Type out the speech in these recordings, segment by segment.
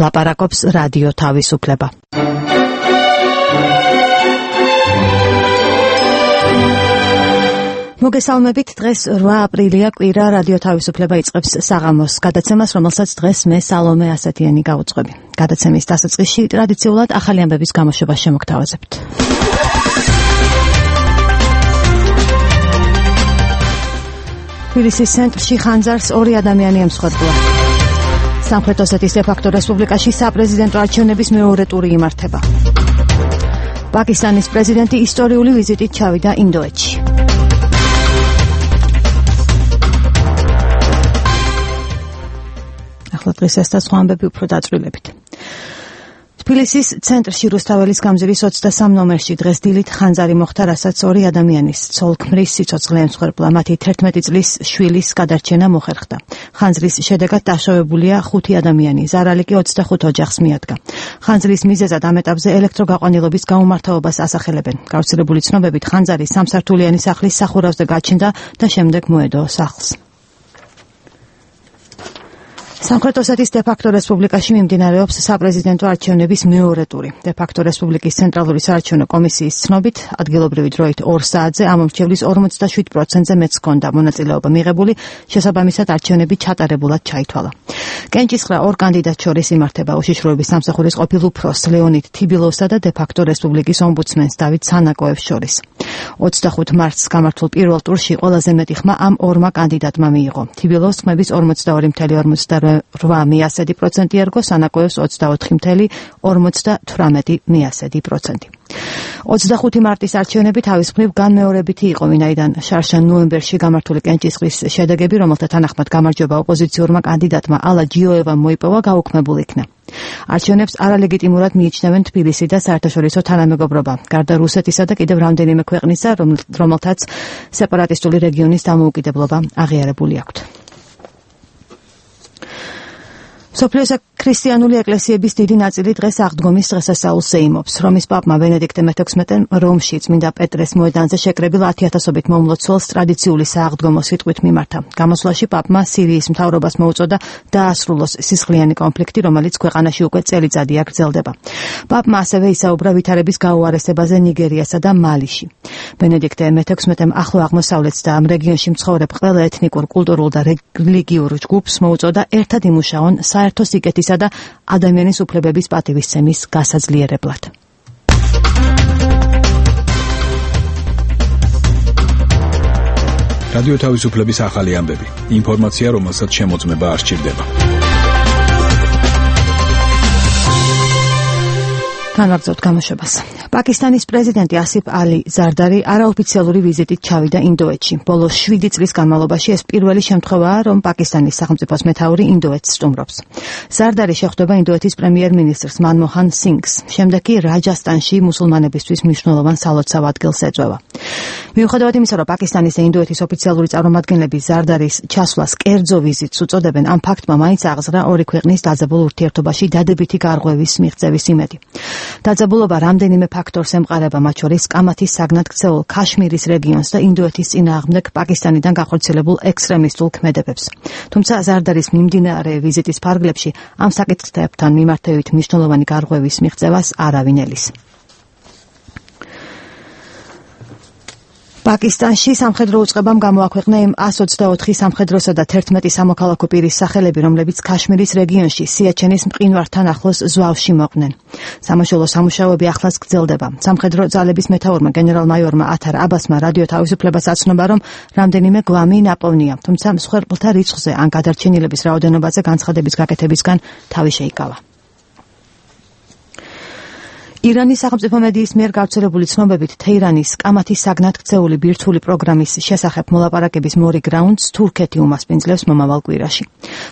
ლაპარაკობს რადიო თავისუფლება. მოგესალმებით, დღეს 8 აპრილია, კვირა, რადიო თავისუფლება იწყებს საღამოს გადაცემას, რომელსაც დღეს მე სალომე ასათიანი გავუძღვები. გადაცემის დასაწყისში ტრადიციულად ახალი ამბების გამოშვებას შემოგთავაზებთ. თბილისის ცენტრში ხანძარს 2 ადამიანი ემსხვერპლა. სამხრეთ ოსეთის დე-ფაქტო რესპუბლიკაში საპრეზიდენტო არჩევნების მეორე ტური იმართება. პაკისტანის პრეზიდენტი ისტორიული ვიზიტით ჩავიდა ინდოეთში. ახლა დღეს ეს და სხვა ამბები უფრო დაწვრილებით. თბილისის ცენტრში რუსთაველის გამზირის 23 ნომერში დღეს დილით ხანძარი მოხდა, რასაც 2 ადამიანის ცოლ-ქმრის სიცოცხლე ემსხვერპლა. მათი 11 წლის შვილის გადარჩენა მოხერხდა. ხანძრის შედეგად დაშავებულია 5 ადამიანი, ზარალი კი 25 ოჯახს მიადგა. ხანძრის მიზეზად ამ ეტაპზე ელექტროგაყვანილობის გაუმართავობას ასახელებენ. გავრცელებული ცნობებით ხანძარი 3 სართულიანი სახლის სახურავზე გაჩნდა და შემდეგ მოედო სახლს. სამხრეთ ოსეთის დე-ფაქტო რესპუბლიკაში მიმდინარეობს საპრეზიდენტო არჩევნების მეორე ტური. დე-ფაქტო რესპუბლიკის ცენტრალური საარჩევნო კომისიის ცნობით, ადგილობრივი დროით 2 საათზე ამ მომრჩევლის 47%-ზე მეც ჰქონდა მონაწილეობა მიღებული, შესაბამისად არჩევნები ჩატარებულად ჩაითვალა. კენჭისყრა 2 კანდიდატს შორის იმართება უშიშროების სამსახურის ყოფილ უფროს ლეონიდ თიბილოვსა და დე-ფაქტო რესპუბლიკის ომბუდსმენს დავით სანაკოევს შორის. 25 მარტს გამართულ პირველ ტურში ყველაზე მეტი ხმა ამ 2 კანდიდატმა მიიღო. თიბილოვს ხმების 42.58% ერგო, სანაკოევს 24.58%. 25 მარტის არჩევნები თავის მხრივ განმეორებითი იყო, ვინაიდან შარშან ნოემბერში გამართული კენჭისყრის შედეგები, რომელთა თანახმად გამარჯვება ოპოზიციურმა კანდიდატმა ალა ჯიოევამ მოიპოვა, გაუქმებულ იქნა. არჩევნებს არალეგიტიმურად მიიჩნევენ თბილისი და საერთაშორისო თანამეგობრობა, გარდა რუსეთისა და კიდევ რამდენიმე ქვეყნისა, რომელთაც სეპარატისტული რეგიონის დამოუკიდებლობა აღიარებული აქვთ. მსოფლიოს ქრისტიანული ეკლესიების დიდი ნაწილი დღეს აღდგომის დღესასწაულს ეიმობს. რომის პაპმა ბენედიქტე მე-16-მ რომში წმინდა პეტრეს მოედანზე შეკრებილ 10,000-ობით მომლოცველს ტრადიციული სააღდგომო სიტყვით მიმართა. გამოსვლაში პაპმა სირიის მთავრობას მოუწოდა დაასრულოს სისხლიანი კონფლიქტი, რომელიც ქვეყანაში უკვე წელიწადია გრძელდება. პაპმა ასევე ისაუბრა ვითარების გაუარესებაზე ნიგერიასა და მალიში. ბენედიქტე მე-16-მ ახლო აღმოსავლეთს და ამ რეგიონში მცხოვრებ ყველა ეთნიკურ, კულტურულ და რელიგიურ ჯგუფს მოუწოდა ერთად იმუშაონ საერთო სიკეთისა და ადამიანის უფლებების პატივისცემის გასაძლიერებლად. რადიო თავისუფლების ახალი ამბები. ინფორმაცია, რომელსაც შემოწმება არ სჭირდება. განვაგრძობთ გამოშვებას. პაკისტანის პრეზიდენტი ასიფ ალი ზარდარი არაოფიციალური ვიზიტით ჩავიდა ინდოეთში. ბოლო 7 წლის განმავლობაში ეს პირველი შემთხვევაა, რომ პაკისტანის სახელმწიფოს მეთაური ინდოეთს სტუმრობს. ზარდარი შეხვდება ინდოეთის პრემიერ-მინისტრს მანმოჰან სინგს. შემდეგ კი რაჯასტანში მუსულმანებისთვის მნიშვნელოვან სალოცავ ადგილს ეწევა. მიუხედავად იმისა, რომ პაკისტანის და ინდოეთის ოფიციალური წარმომადგენლები ზარდარის ჩასვლას კერძო ვიზიტს უწოდებენ, ამ ფაქტმა მაინც აღზრა 2 ქვეყნის დაძაბულ ურთიერთობაში დადებითი გარღვევის მიღწევის იმედი. დაძაბულობა რამდენიმე ფაქტორს ემყარება, მათ შორის კამათის საგნად ქცეულ ქაშმირის რეგიონს და ინდოეთის წინააღმდეგ პაკისტანიდან გახორციელებულ ექსტრემისტულ ქმედებებს. თუმცა ზარდარის მიმდინარე ვიზიტის ფარგლებში ამ საკითხებთან მიმართებით მნიშვნელოვანი გარღვევის მიღწევას არავინ ელის. პაკისტანში სამხედრო უწყებამ გამოაქვეყნა იმ 124 სამხედროსა და 11 სამოქალაქო პირის სახელები, რომლებიც ქაშმირის რეგიონში სიაჩენის მყინვართან ახლოს ზვავში მოყვნენ. სამაშველო სამუშაოები ახლაც გრძელდება. სამხედრო ძალების მეთაურმა გენერალ-მაიორმა ათარ აბასმა რადიო თავისუფლებას აცნობა, რომ რამდენიმე გვამი ნაპოვნია, თუმცა მსხვერპლთა რიცხვზე ან გადარჩენილების რაოდენობაზე განცხადების გაკეთებისგან თავი შეიკავა. ირანის სახელმწიფო მედიის მიერ გავრცელებული ცნობებით თეირანის კამათის საგნად ქცეული ბირთვული პროგრამის შესახებ მოლაპარაკების მორიგ რაუნდს თურქეთი უმასპინძლებს მომავალ კვირაში.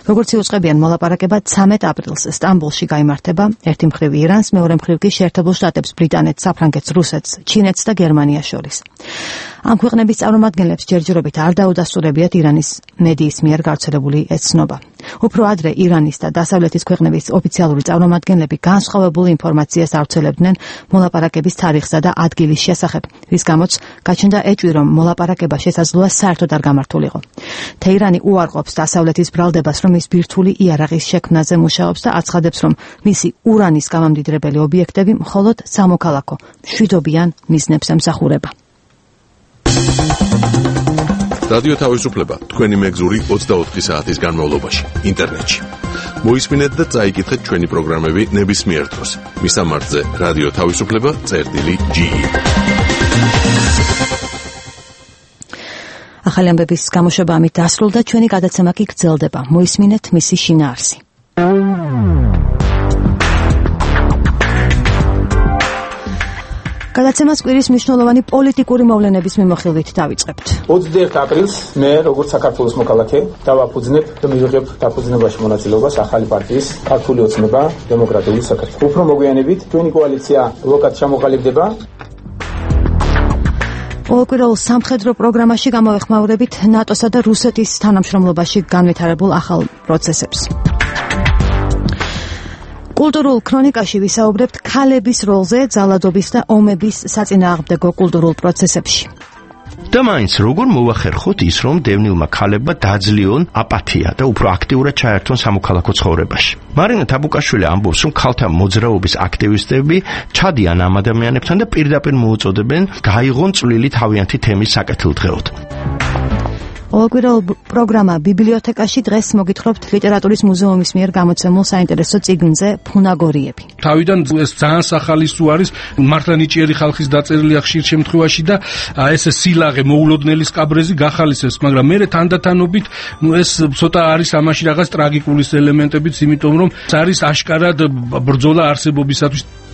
როგორც იუწყებიან, მოლაპარაკება 13 აპრილს სტამბოლში გაიმართება, ერთი მხრივ ირანს, მეორე მხრივ კი შეერთებულ შტატებს, ბრიტანეთს, საფრანგეთს, რუსეთს, ჩინეთს და გერმანიას შორის. ამ ქვეყნების წარმომადგენლებს ჯერჯერობით არ დაუდასტურებიათ ირანის მედიის მიერ გავრცელებული ეს ცნობა. უფრო ადრე ირანის და დასავლეთის ქვეყნების ოფიციალური წარმომადგენლები განსხვავებული ინფორმაციას ავრცელებდნენ მოლაპარაკების თარიღსა და ადგილის შესახებ, რის გამოც გაჩნდა ეჭვი, რომ მოლაპარაკება შესაძლოა საერთოდ არ გამართულიყო. თეირანი უარყოფს დასავლეთის ბრალდებას, რომ ის ბირთვული იარაღის შექმნაზე მუშაობს და აცხადებს, რომ მისი ურანის გამამდიდრებელი ობიექტები მხოლოდ სამოქალაქო მშვიდობიან მიზნებს ემსახურება. რადიო თავისუფლება თქვენი მეგზური 24 საათის განმავლობაში ინტერნეტში. მოისმინეთ და წაიკითხეთ ჩვენი პროგრამები ნებისმიერ დროს. მისამართზე რადიო თავისუფლება.ge. ახალი ამბების გამოშვება ამით დასრულდა, ჩვენი გადაცემა კი გრძელდება. მოისმინეთ მისი შინაარსი. გადაცემას კვირის მნიშვნელოვანი პოლიტიკური მოვლენების მიმოხილვით დავიწყებთ. 21 აპრილს მე, როგორც საქართველოს მოქალაქე, დავაფუძნებ და მივიღებ დაფუძნებაში მონაწილეობას ახალი პარტიის ქართული ოცნება დემოკრატიული საქართველო. უფრო მოგვიანებით ჩვენი კოალიცია ლოკად ჩამოყალიბდება. ყოველკვირეულ სამხედრო პროგრამაში გამოვეხმაურებით ნატოსა და რუსეთის თანამშრომლობაში განვითარებულ ახალ პროცესებს. კულტურულ ქრონიკაში ვისაუბრებთ ქალების როლზე ძალადობის და ომების საწინააღმდეგო კულტურულ პროცესებში. და მაინც როგორ მოვახერხოთ ის, რომ დევნილმა ქალებმა დაძლიონ აპათია და უფრო აქტიურად ჩაერთონ სამოქალაქო ცხოვრებაში. მარინა თაბუკაშვილი ამბობს, რომ ქალთა მოძრაობის აქტივისტები ჩადიან ამ ადამიანებთან და პირდაპირ მოუწოდებენ გაიღონ წვლილი თავიანთი თემის საკეთილდღეოდ. ყოველკვირეულ პროგრამა ბიბლიოთეკაში დღეს მოგითხრობთ ლიტერატურის მუზეუმის მიერ გამოცემულ საინტერესო წიგნზე ფუნაგორიები. თავიდან ეს ძალიან სახალისო არის, მართლა ნიჭიერი ხალხის დაწერილია ხშირ შემთხვევაში და ეს სილაღე მოულოდნელი სკაბრეზი გახალისებს, მაგრამ მე თანდათანობით ეს ცოტა არის ამაში რაღაც ტრაგიკული ელემენტებიც, იმიტომ რომ არის აშკარად ბრძოლა არსებობისათვის.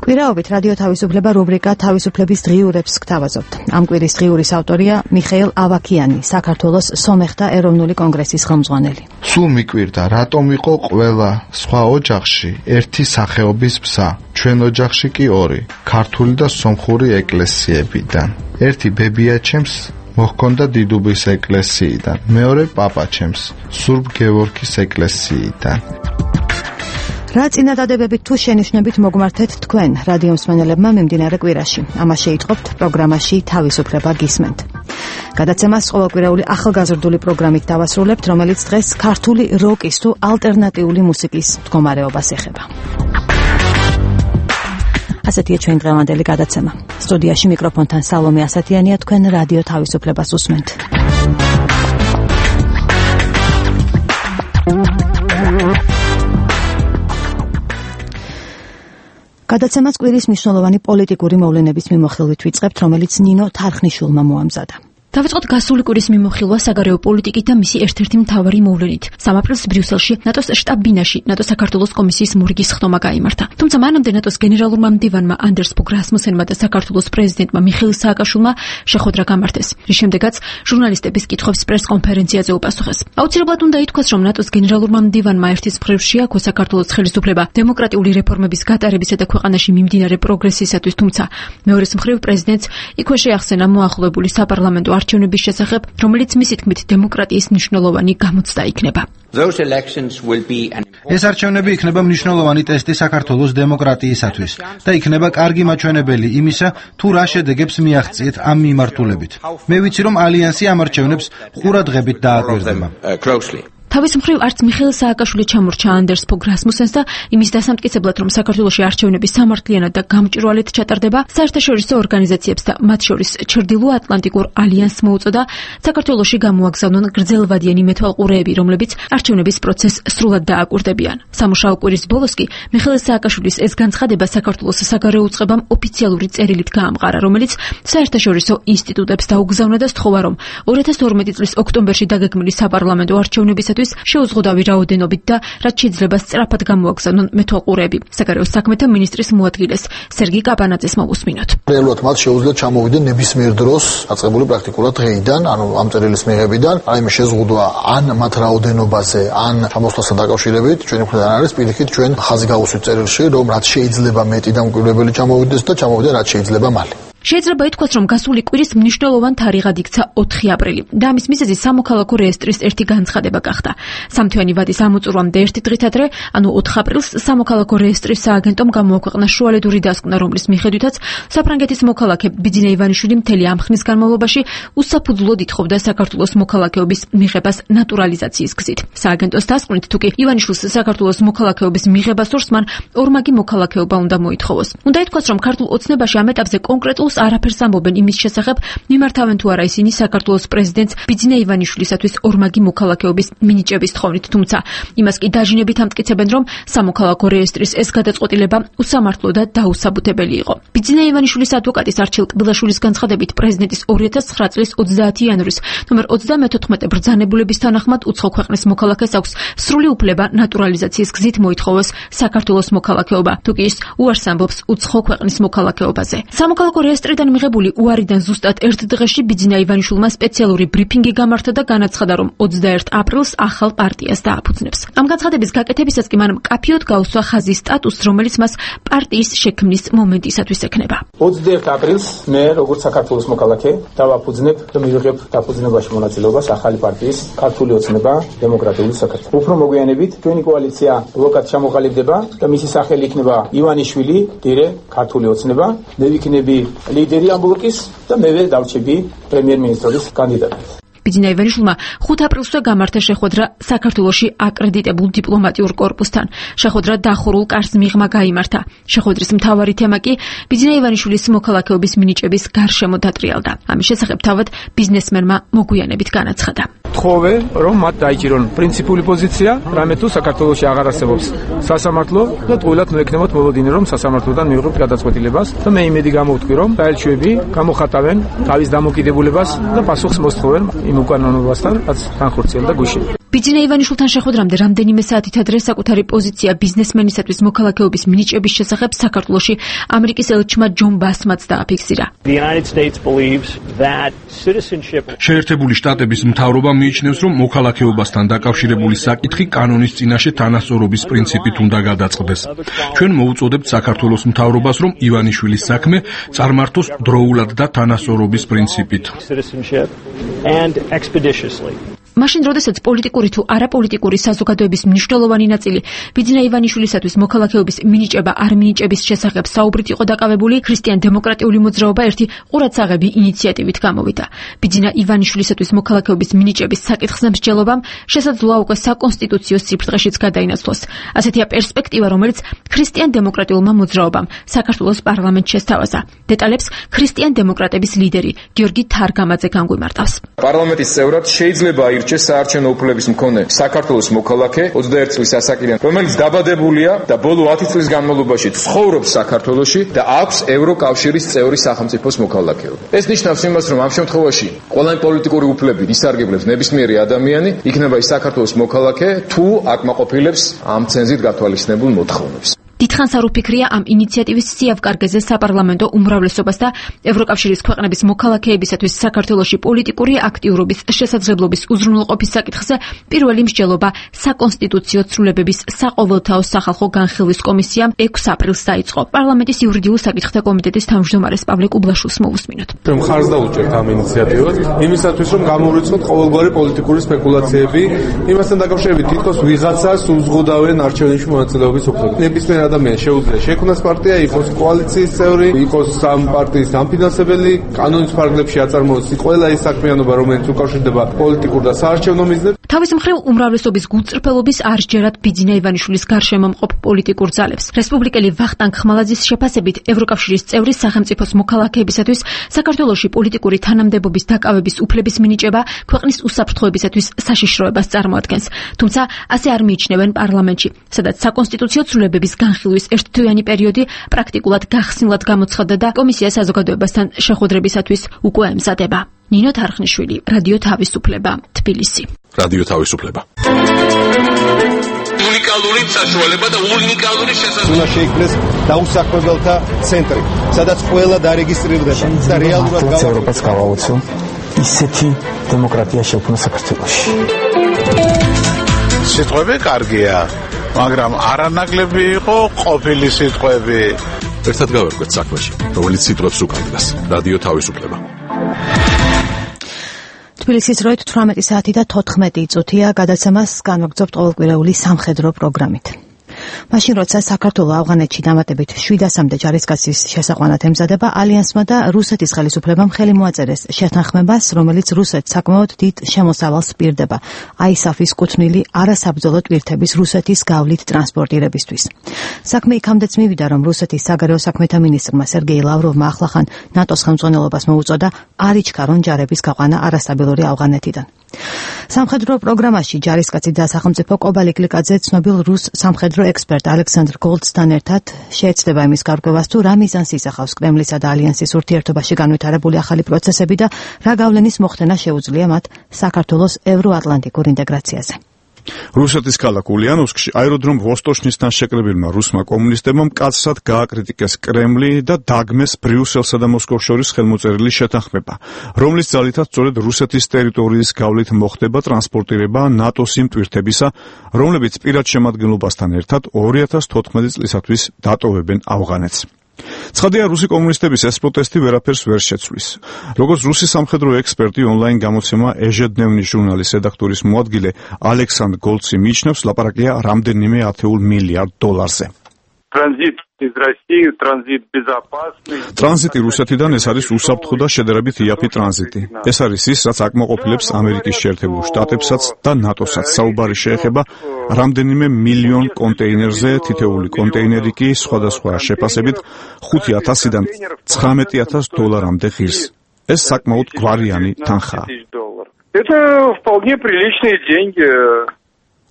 კვირაობით რადიო თავისუფლება რუბრიკა თავისუფლების დღიურებს გთავაზობთ. ამ კვირის დღიურის ავტორია მიხეილ ავაქიანი, საქართველოს სომეხთა ეროვნული კონგრესის ხელმძღვანელი. სულ მიკვირდა, რატომ იყო ყველა სხვა ოჯახში ერთი სახეობის ბზა, ჩვენ ოჯახში კი ორი, ქართული და სომხური ეკლესიებიდან. ერთი ბებიაჩემს მოჰქონდა დიდუბის ეკლესიიდან, მეორე პაპაჩემს სურბ გევორგის ეკლესიიდან. რა წინადადებებით თუ შენიშვნებით მოგმართეთ თქვენ რადიო მსმენელებმა მიმდინარე კვირაში. ამას შეიტყობთ პროგრამაში თავისუფლება გისმენთ. გადაცემას ყოველკვირეული ახალგაზრდული პროგრამით დავასრულებთ, რომელიც დღეს ქართული როკის თუ ალტერნატიული მუსიკის მდგომარეობას ეხება. ასეთია ჩვენი დღევანდელი გადაცემა. სტუდიაში მიკროფონთან სალომე ასათიანია, თქვენ რადიო თავისუფლებას უსმენთ. გადაცემას კვირის მნიშვნელოვანი პოლიტიკური მოვლენების მიმოხილვით ვიწყებთ, რომელიც ნინო თარხნიშვილმა მოამზადა. დავიწყოთ გასული კვირის მიმოხილვა საგარეო პოლიტიკით და მისი ერთ-ერთი მთავარი მოვლენით. 3 აპრილს ბრიუსელში ნატოს შტაბ-ბინაში ნატოს საქართველოს კომისიის მორგის ხდომა გაიმართა. თუმცა მანამდე ნატოს გენერალურმა მდივანმა ანდერს ფოგ რასმუსენმა და საქართველოს პრეზიდენტმა მიხეილ სააკაშვილმა შეხვედრა გამართეს, რის შემდეგაც ჟურნალისტების კითხვებს პრეს-კონფერენციაზე უპასუხეს. აუცილებლად უნდა ითქვას, რომ ნატოს გენერალურმა მდივანმა ერთის მხრივ შეაქვა საქართველოს ხელისუფლება დემოკრატიული რეფორმების გატარებისა და ქვეყანაში მიმდინარე პროგრესისათვის, თუმცა მეორეს მხრივ პრეზიდენტს იქვე შეახსენა მოახლოებული საპარლამენტო არჩევნების შესახებ, რომელიც მისი თქმით დემოკრატიის მნიშვნელოვანი გამოცდა იქნება. ეს არჩევნები იქნება მნიშვნელოვანი ტესტი საქართველოს დემოკრატიისათვის და იქნება კარგი მაჩვენებელი იმისა, თუ რა შედეგებს მიაღწიეთ ამ მიმართულებით. მე ვიცი, რომ ალიანსი ამ არჩევნებს ყურადღებით დააკვირდება. თავის მხრივ არც მიხეილ სააკაშვილი ჩამორჩა ანდერს ფოგ რასმუსენს და იმის დასამტკიცებლად, რომ საქართველოში არჩევნები სამართლიანად და გამჭვირვალედ ჩატარდება, საერთაშორისო ორგანიზაციებს და მათ შორის ჩრდილო-ატლანტიკურ ალიანსს მოუწოდა საქართველოში გამოაგზავნონ გრძელვადიანი მეთვალყურეები, რომლებიც არჩევნების პროცესს სრულად დააკვირდებიან. სამუშაო კვირის ბოლოს კი მიხეილ სააკაშვილის ეს განცხადება საქართველოს საგარეო უწყებამ ოფიციალური წერილით გაამყარა, რომელიც საერთაშორისო ინსტიტუტებს დაუგზავნა და სთხოვა, რომ 2012 წლის ოქტომბერში დაგეგმილი საპარლამენტო არჩევნებისათვის შეუზღუდავი რაოდენობით და რაც შეიძლება სწრაფად გამოაგზავნონ მეთვალყურეები. საგარეო საქმეთა მინისტრის მოადგილეს სერგი კაპანაძეს მოვუსმინოთ. რეალურად მათ შეუძლია ჩამოვიდნენ ნებისმიერ დროს აწყებული პრაქტიკულად დღეიდან, ანუ ამ წერილის მიღებიდან, რაიმე შეზღუდვა ან მათ რაოდენობაზე, ან ჩამოსვლასთან დაკავშირებით, ჩვენი მხრიდან არის პირიქით ჩვენ ხაზი გავუსვით წერილში, რომ რაც შეიძლება მეტი დამკვირვებელი ჩამოვიდეს და ჩამოვიდნენ რაც შეიძლება მალე. შეიძლება ითქვას, რომ გასული კვირის მნიშვნელოვან თარიღად იქცა 4 აპრილი და ამის მიზეზი სამოქალაქო რეესტრის ერთი განცხადება გახდა. სამთვიანი ვადის ამოწურვამდე ერთი დღით ადრე, ანუ 4 აპრილს სამოქალაქო რეესტრის სააგენტომ გამოაქვეყნა შუალედური დასკვნა, რომლის მიხედვითაც საფრანგეთის მოქალაქე ბიძინა ივანიშვილი მთელი ამ ხნის განმავლობაში უსაფუძვლოდ ითხოვდა საქართველოს მოქალაქეობის მიღებას ნატურალიზაციის გზით. სააგენტოს დასკვნით, თუკი ივანიშვილს საქართველოს მოქალაქეობის მიღება სურს, მან ორმაგი მოქალაქეობა უნდა მოითხოვოს. უნდა ითქვას, რომ ქართულ ოცნებაში ამ ეტაპზე კონკრეტულს არაფერს ამბობენ იმის შესახებ, მიმართავენ თუ არა ისინი საქართველოს პრეზიდენტს ბიძინა ივანიშვილისათვის ორმაგი მოქალაქეობის მინიჭების თხოვნით, თუმცა იმას კი დაჟინებით ამტკიცებენ, რომ სამოქალაქო რეესტრის ეს გადაწყვეტილება უსამართლო და დაუსაბუთებელი იყო. ბიძინა ივანიშვილის ადვოკატის არჩილ კბილაშვილის განცხადებით, პრეზიდენტის 2009 წლის 30 იანვრის ნომერ 34 ბრძანებულების თანახმად უცხო ქვეყნის მოქალაქეს აქვს სრული უფლება ნატურალიზაციის გზით მოითხოვოს საქართველოს მოქალაქეობა, თუკი ის უარს ამბობს უცხო ქვეყნის მოქალაქეობაზე. სამოქალაქო რეესტრიდან მიღებული უარიდან ზუსტად ერთ დღეში ბიძინა ივანიშვილმა სპეციალური ბრიფინგი გამართა და განაცხადა, რომ 21 აპრილს ახალ პარტიას დააფუძნებს. ამ განცხადების გაკეთებისას კი მან მკაფიოდ გაუსვა ხაზის სტატუსს, რომელიც მას პარტიის შექმნის მომენტისათვის ექნება. 21 აპრილს მე როგორც საქართველოს მოქალაქე დავაფუძნებ და მივიღებ დაფუძნებაში მონაწილეობას ახალი პარტიის ქართული ოცნება დემოკრატიული საქართველო. უფრო მოგვიანებით ჩვენი კოალიცია ბლოკად ჩამოყალიბდება და მისი სახელი იქნება ივანიშვილი დირე ქართული ოცნება. მე ვიქნები ლიდერი ამ ბლოკის და მევე დავრჩები პრემიერ-მინისტრის კანდიდატად. ბიძინა ივანიშვილმა 5 აპრილსვე გამართა შეხვედრა საქართველოში აკრედიტებულ დიპლომატიურ კორპუსთან. შეხვედრა დახურულ კარს მიღმა გაიმართა. შეხვედრის მთავარი თემა კი ბიძინა ივანიშვილის მოქალაქეობის მინიჭების გარშემო დატრიალდა. ამის შესახებ თავად ბიზნესმენმა მოგვიანებით განაცხადა. თხოვე, რომ მათ დაიჭირონ პრინციპული პოზიცია, რამე თუ საქართველოში აღარ არსებობს სასამართლო და ტყუილად მოექნებათ მოლოდინი, რომ სასამართლოდან მიიღოთ გადაწყვეტილებას და მე იმედი გამოვთქვი, რომ საელჩოები გამოხატავენ თავის დამოკიდებულებას და პასუხს მოსთხოვენ იმ უკანონობასთან, რაც განხორციელდა გუშინ. ბიძინა ივანიშვილთან შეხვედრამდე რამდენიმე საათით ადრე საკუთარი პოზიცია ბიზნესმენისათვის მოქალაქეობის მინიჭების შესახებ საქართველოში ამერიკის ელჩმა ჯონ ბასმაც დააფიქსირა. შეერთებული შტატების მთავრობა მიიჩნევს, რომ მოქალაქეობასთან დაკავშირებული საკითხი კანონის წინაშე თანასწორობის პრინციპით უნდა გადაწყდეს. ჩვენ მოუწოდებთ საქართველოს მთავრობას, რომ ივანიშვილის საქმე წარმართოს დროულად და თანასწორობის პრინციპით. მაშინ, როდესაც პოლიტიკური თუ არაპოლიტიკური საზოგადოების მნიშვნელოვანი ნაწილი ბიძინა ივანიშვილისათვის მოქალაქეობის მინიჭება არ მინიჭების შესახებ საუბრით იყო დაკავებული, ქრისტიან-დემოკრატიული მოძრაობა ერთი ყურადსაღები ინიციატივით გამოვიდა. ბიძინა ივანიშვილისათვის მოქალაქეობის მინიჭების საკითხზე მსჯელობამ შესაძლოა უკვე საკონსტიტუციო სიფრთხეშიც გადაინაცვლოს. ასეთია პერსპექტივა, რომელიც ქრისტიან-დემოკრატიულმა მოძრაობამ საქართველოს პარლამენტში შესთავაზა. დეტალებს ქრისტიან-დემოკრატების ლიდერი გიორგი თარგამაძე განგვიმარტავს. პარლამენტის წევრად შეიძლება საარჩევნო უფლების მქონე საქართველოს მოქალაქე 21 წლის ასაკიდან, რომელიც დაბადებულია და ბოლო 10 წლის განმავლობაში ცხოვრობს საქართველოში და აქვს ევროკავშირის წევრი სახელმწიფოს მოქალაქეობა. ეს ნიშნავს იმას, რომ ამ შემთხვევაში ყველანი პოლიტიკური უფლებით ისარგებლებს ნებისმიერი ადამიანი, იქნება ის საქართველოს მოქალაქე, თუ აკმაყოფილებს ამ ცენზით გათვალისწინებულ მოთხოვნებს. დიდხანს არ უფიქრია ამ ინიციატივის სიავკარგეზე საპარლამენტო უმრავლესობას და ევროკავშირის ქვეყნების მოქალაქეებისათვის საქართველოში პოლიტიკური აქტიურობის შესაძლებლობის უზრუნველყოფის საკითხზე პირველი მსჯელობა საკონსტიტუციო ცვლილებების საყოველთაო სახალხო განხილვის კომისიამ 6 აპრილს დაიწყო. პარლამენტის იურიდიულ საკითხთა კომიტეტის თავმჯდომარეს პავლე კუბლაშვილს მოვუსმინოთ. მხარს დაუჭერთ ამ ინიციატივას იმისათვის, რომ გამოვრიცხოთ ყოველგვარი პოლიტიკური სპეკულაციები, იმასთან დაკავშირებით თითქოს ვიღაცას უზღუდავენ არჩევნებში მონაწილეობის უფლება. ნებისმიერ ადამიანს შეუძლია შექმნას პარტია, იყოს კოალიციის წევრი, იყოს ამ პარტიის დამფინანსებელი, კანონის ფარგლებში აწარმოოს ყველა ის საქმიანობა, რომელიც უკავშირდება პოლიტიკურ და საარჩევნო მიზნებს. თავის მხრივ უმრავლესობის გულწრფელობის არ სჯერათ ბიძინა ივანიშვილის გარშემო მყოფ პოლიტიკურ ძალებს. რესპუბლიკელი ვახტანგ ხმალაძის შეფასებით, ევროკავშირის წევრი სახელმწიფოს მოქალაქეებისათვის საქართველოში პოლიტიკური თანამდებობის დაკავების უფლების მინიჭება ქვეყნის უსაფრთხოებისათვის საშიშროებას წარმოადგენს. თუმცა ასე არ მიიჩნევენ პარლამენტში, სადაც საკონსტიტუციო ცვლილებების განხილვის ერთთვიანი პერიოდი პრაქტიკულად გახსნილად გამოცხადდა და კომისია საზოგადოებასთან შეხვედრებისათვის უკვე ემზადება. ნინო თარხნიშვილი, რადიო თავისუფლება, თბილისი. რადიო თავისუფლება. უნიკალური საშუალება და უნიკალური შესაძლებლობა. უნდა შეიქმნეს დაუსაქმებელთა ცენტრი, სადაც ყველა დარეგისტრირდება და რეალურად ევროპას გავაოცო ისეთი დემოკრატია შექმნა საქართველოში. სიტყვები კარგია, მაგრამ არანაკლები იყო ყოფილი სიტყვები. ერთად გავერკვეთ საქმეში, რომელიც სიტყვებს უკანდგას. რადიო თავისუფლება. თბილისის დროით 18 საათი და 14 წუთია, გადაცემას განვაგრძობთ ყოველკვირეული სამხედრო პროგრამით. მაშინ როცა საქართველო ავღანეთში დამატებით 700-მდე ჯარისკაცის შესაყვანად ემზადება, ალიანსმა და რუსეთის ხელისუფლებამ ხელი მოაწერეს შეთანხმებას, რომელიც რუსეთს საკმაოდ დიდ შემოსავალს პირდება ISAF-ის კუთვნილი არასაბრძოლო ტვირთების რუსეთის გავლით ტრანსპორტირებისთვის. საქმე იქამდეც მივიდა, რომ რუსეთის საგარეო საქმეთა მინისტრმა სერგეი ლავროვმა ახლახან ნატოს ხელმძღვანელობას მოუწოდა არ იჩქარონ ჯარების გაყვანა არასტაბილური ავღანეთიდან. სამხედრო პროგრამაში ჯარისკაცი და სახელმწიფო კობალი გლიკაძე ცნობილ რუს სამხედრო ექსპერტ ალექსანდრ გოლდსთან ერთად შეეცდება იმის გარკვევას, თუ რა მიზანს ისახავს კრემლისა და ალიანსის ურთიერთობაში განვითარებული ახალი პროცესები და რა გავლენის მოხდენა შეუძლია მათ საქართველოს ევროატლანტიკურ ინტეგრაციაზე. რუსეთის ქალაქ ულიანოვსკში აეროდრომ ვოსტოჩნისთან შეკრებილმა რუსმა კომუნისტებმა მკაცრად გააკრიტიკეს კრემლი და დაგმეს ბრიუსელსა და მოსკოვს შორის ხელმოწერილი შეთანხმება, რომლის ძალითაც სწორედ რუსეთის ტერიტორიის გავლით მოხდება ტრანსპორტირება ნატოს იმ ტვირთებისა, რომლებიც პირად შემადგენლობასთან ერთად 2014 წლისათვის დატოვებენ ავღანეთს. ცხადია, რუსი კომუნისტების ეს პროტესტი ვერაფერს ვერ შეცვლის. როგორც რუსი სამხედრო ექსპერტი онлайн გამოცემა ეჟედნევნი ჟურნალის რედაქტორის მოადგილე ალექსანდრ გოლცი მიიჩნევს, ლაპარაკია რამდენიმე ათეულ მილიარდ დოლარზე. ტრანზიტი რუსეთიდან ეს არის უსაფრთხო და შედარებით იაფი ტრანზიტი. ეს არის ის, რაც აკმაყოფილებს ამერიკის შეერთებულ შტატებსაც და ნატოსაც. საუბარი შეეხება რამდენიმე მილიონ კონტეინერზე, თითეული კონტეინერი კი სხვადასხვა შეფასებით 5,000-დან 19,000 დოლარამდე ღირს. ეს საკმაოდ გვარიანი თანხაა.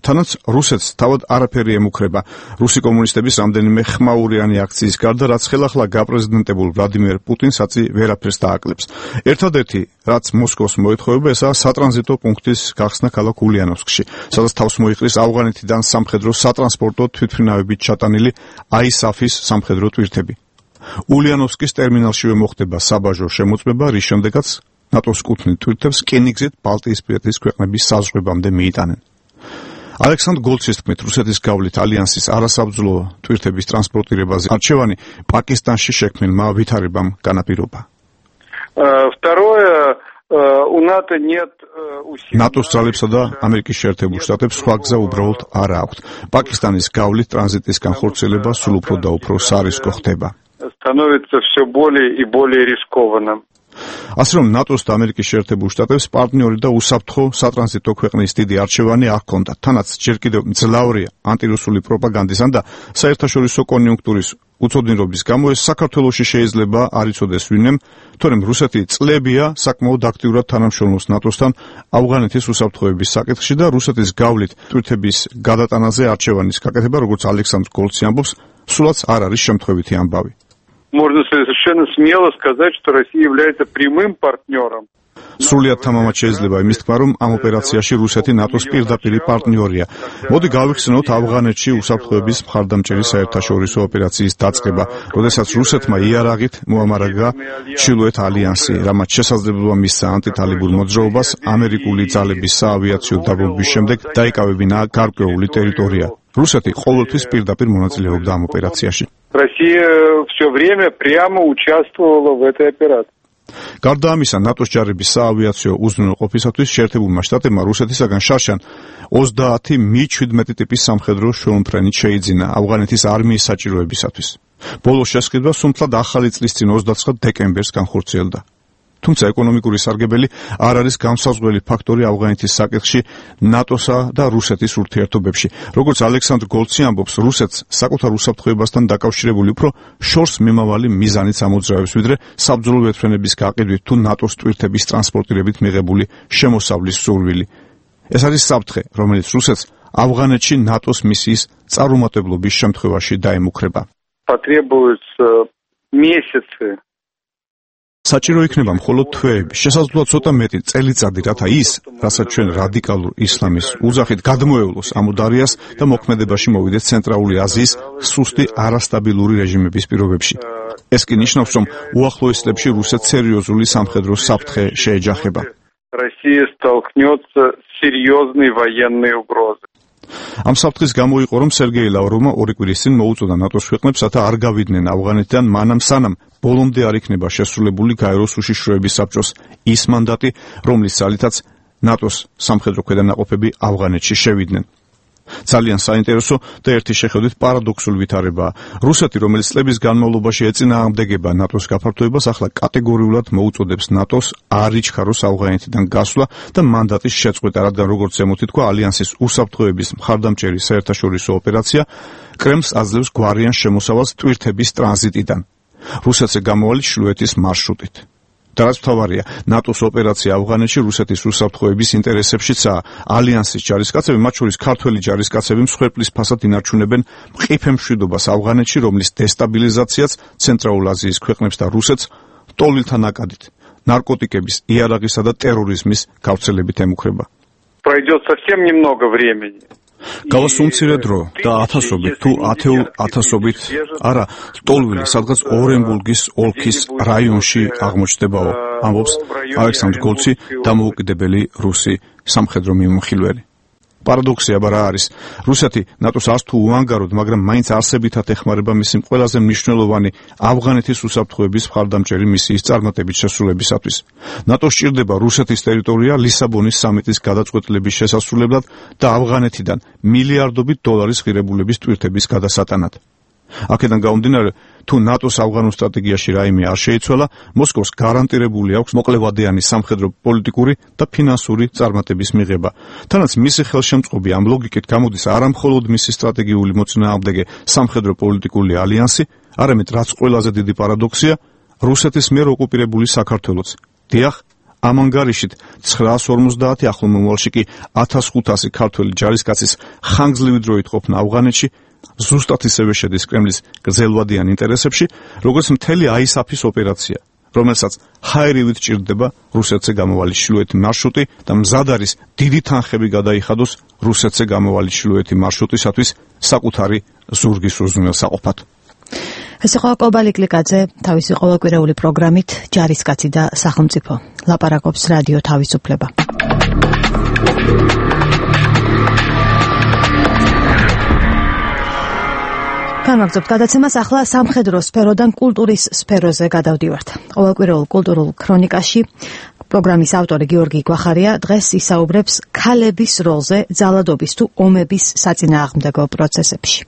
თანაც რუსეთს თავად არაფერი ემუქრება რუსი კომუნისტების რამდენიმე ხმაურიანი აქციის გარდა, რაც ხელახლა გაპრეზიდენტებულ ვლადიმერ პუტინსაცი ვერაფერს დააკლებს. ერთადერთი, რაც მოსკოვს მოეთხოვება, ესაა სატრანზიტო პუნქტის გახსნა ქალაქ ულიანოვსკში, სადაც თავს მოიყრის ავღანეთიდან სამხედრო სატრანსპორტო თვითმფრინავებით ჩატანილი ISAF-ის სამხედრო ტვირთები. ულიანოვსკის ტერმინალშივე მოხდება საბაჟო შემოწმება, რის შემდეგაც ნატოს კუთვნილ ტვირთებს რკინიგზით ბალტიისპირეთის ქვეყნების საზღვრებამდე მიიტანენ. ალექსანდრ გოლცის თქმით, რუსეთის გავლით ალიანსის არასაბრძოლო ტვირთების ტრანსპორტირებაზე არჩევანი პაკისტანში შექმნილმა ვითარებამ განაპირობა. ნატოს ძალებსა და ამერიკის შეერთებულ შტატებს სხვა გზა უბრალოდ არ აქვთ. პაკისტანის გავლით ტრანზიტის განხორციელება სულ უფრო და უფრო სარისკო ხდება. ასე რომ ნატოს და ამერიკის შეერთებულ შტატებს პარტნიორი და უსაფრთხო სატრანზიტო ქვეყნის დიდი არჩევანი არ ჰქონდათ. თანაც ჯერ კიდევ მძლავრია ანტირუსული პროპაგანდისან და საერთაშორისო კონიუნქტურის უცოდინრობის გამო ეს საქართველოში შეიძლება არ იცოდეს ვინმემ, თორემ რუსეთი წლებია საკმაოდ აქტიურად თანამშრომლობს ნატოსთან ავღანეთის უსაფრთხოების საკითხში და რუსეთის გავლით ტვირთების გადატანაზე არჩევანის გაკეთება, როგორც ალექსანდრ გოლცი ამბობს, სულაც არ არის შემთხვევითი ამბავი. Можно совершенно смело сказать, что Россия является прямым партнером. სრულიად თამამად შეიძლება იმის თქმა, რომ ამ ოპერაციაში რუსეთი ნატოს პირდაპირი პარტნიორია. მოდი გავიხსენოთ ავღანეთში უსაფრთხოების მხარდამჭერი საერთაშორისო ოპერაციის დაწყება, როდესაც რუსეთმა იარაღით მოამარაგა ჩრდილოეთ ალიანსი, რამაც შესაძლებლობა მისცა ანტიტალიბურ მოძრაობას ამერიკული ძალების საავიაციო დაბომბვის შემდეგ დაიკავებინა გარკვეული ტერიტორია. რუსეთი ყოველთვის პირდაპირ მონაწილეობდა ამ ოპერაციაში. Россия все время прямо участвовала в этой операции. გარდა ამისა, ნატოს ჯარების საავიაციო უზრუნველყოფისათვის შეერთებულმა შტატებმა რუსეთისაგან შარშან 30 Mi-17 ტიპის სამხედრო შრომფრენი შეიძინა ავღანეთის არმიის საჭიროებისათვის. ბოლო შესყიდვა სუმთლად ახალი წლის წინ 29 დეკემბერს განხორციელდა. თუმცა ეკონომიკური სარგებელი არ არის განსაზღვრელი ფაქტორი ავღანეთის საკითხში ნატოსა და რუსეთის ურთიერთობებში. როგორც ალექსანდრ გოლცი ამბობს, რუსეთს საკუთარ უსაფრთხოებასთან დაკავშირებული უფრო შორს მიმავალი მიზანიც ამოძრავებს, ვიდრე საბრძოლო ვერტმფრენების გაყიდვით თუ ნატოს ტვირთების ტრანსპორტირებით მიღებული შემოსავლის სურვილი. ეს არის საფრთხე, რომელიც რუსეთს ავღანეთში ნატოს მისიის წარუმატებლობის შემთხვევაში დაემუქრება. Потребуются месяцы. საჭირო იქნება მხოლოდ თვეები, შესაძლოა ცოტა მეტი წელიწადი, რათა ის, რასაც ჩვენ რადიკალურ ისლამის უძახით გადმოევლოს ამუდარიას და მოქმედებაში მოვიდეს ცენტრალური აზიის სუსტი არასტაბილური რეჟიმების პირობებში. ეს კი ნიშნავს, რომ უახლოეს წლებში რუსეთს სერიოზული სამხედრო საფრთხე შეეჯახება. Россия столкнется с серьезной военной угрозой. ამ საფრთხის გამო იყო, რომ სერგეი ლავროვმა ორი კვირის წინ მოუწოდა ნატოს ქვეყნებს, რათა არ გავიდნენ ავღანეთიდან მანამ სანამ ბოლომდე არ იქნება შესრულებული გაეროს უშიშროების საბჭოს ის მანდატი, რომლის ძალითაც ნატოს სამხედრო ქვედანაყოფები ავღანეთში შევიდნენ. ძალიან საინტერესო და ერთი შეხედვით პარადოქსული ვითარებაა. რუსეთი, რომელიც წლების განმავლობაში ეწინააღმდეგება ნატოს გაფართოებას, ახლა კატეგორიულად მოუწოდებს ნატოს არ იჩქაროს ავღანეთიდან გასვლა და მანდატის შეწყვეტა, რადგან როგორც ზემოთ ითქვა, ალიანსის უსაფრთხოების მხარდამჭერი საერთაშორისო ოპერაცია კრემლს აძლევს გვარიან შემოსავალს ტვირთების ტრანზიტიდან. რუსეთზე გამოვალი ჩრდილოეთის მარშრუტით. და რაც მთავარია, ნატოს ოპერაცია ავღანეთში რუსეთის უსაფრთხოების ინტერესებშიცაა. ალიანსის ჯარისკაცები, მათ შორის ქართველი ჯარისკაცები, მსხვერპლის ფასად ინარჩუნებენ მყიფე მშვიდობას ავღანეთში, რომლის დესტაბილიზაციაც ცენტრალურ აზიის ქვეყნებს და რუსეთს ტოლილთა ნაკადით, ნარკოტიკების, იარაღისა და ტერორიზმის გავრცელებით ემუქრება. Пройдет совсем немного времени. Გავას უმცირე დრო და ათასობით თუ ათეულობით არა ტოლვილი სადღაც ორენბურგის ოლქის რაიონში აღმოჩნდებაო, ამბობს ალექსანდრ გოლცი, დამოუკიდებელი რუსი სამხედრო მიმოხილველი. პარადოქსი აბა რა არის? რუსეთი ნატოს არც თუ უანგაროდ, მაგრამ მაინც არსებითად ეხმარება მისი ყველაზე მნიშვნელოვანი ავღანეთის უსაფრთხოების მხარდამჭერი მისიის წარმატებით შესრულებისათვის. ნატოს სჭირდება რუსეთის ტერიტორია ლისაბონის სამიტის გადაწყვეტილების შესასრულებლად და ავღანეთიდან მილიარდობით დოლარის ღირებულების ტვირთების გადასატანად. აქედან გამომდინარე, თუ ნატოს ავღანურ სტრატეგიაში რაიმე არ შეიცვალა, მოსკოვს გარანტირებული აქვს მოკლევადიანი სამხედრო, პოლიტიკური და ფინანსური წარმატების მიღება. თანაც მისი ხელშემწყობი ამ ლოგიკით გამოდის არა მხოლოდ მისი სტრატეგიული მოწინააღმდეგე სამხედრო პოლიტიკური ალიანსი, არამედ რაც ყველაზე დიდი პარადოქსია, რუსეთის მიერ ოკუპირებული საქართველოც. დიახ, ამ ანგარიშით 950 ახლო მომავალში კი 1500 ქართველი ჯარისკაცის ხანგრძლივი დროით ყოფნა ავღანეთში ზუსტად ისევე შედის კრემლის გრძელვადიან ინტერესებში, როგორც მთელი აისაფის ოპერაცია, რომელსაც ჰაერივით ჭირდება რუსეთზე გამოვალი ჩრდილოეთი მარშრუტი და მზად არის დიდი თანხები გადაიხადოს რუსეთზე გამოვალი ჩრდილოეთი მარშრუტისათვის საკუთარი ზურგის უზრუნველსაყოფად. ეს იყო კობალი კლიკაძე თავისი ყოველკვირეული პროგრამით ჯარისკაცი და სახელმწიფო. ლაპარაკობს რადიო თავისუფლება. გამაგზავნებთ გადაცემას, ახლა სამხედრო სფეროდან კულტურის სფეროზე გადავდივართ. ყოველკვირეულ კულტურულ ქრონიკაში პროგრამის ავტორი გიორგი გვახარია დღეს ისაუბრებს ქალების როლზე ძალადობის თუ ომების საწინააღმდეგო პროცესებში.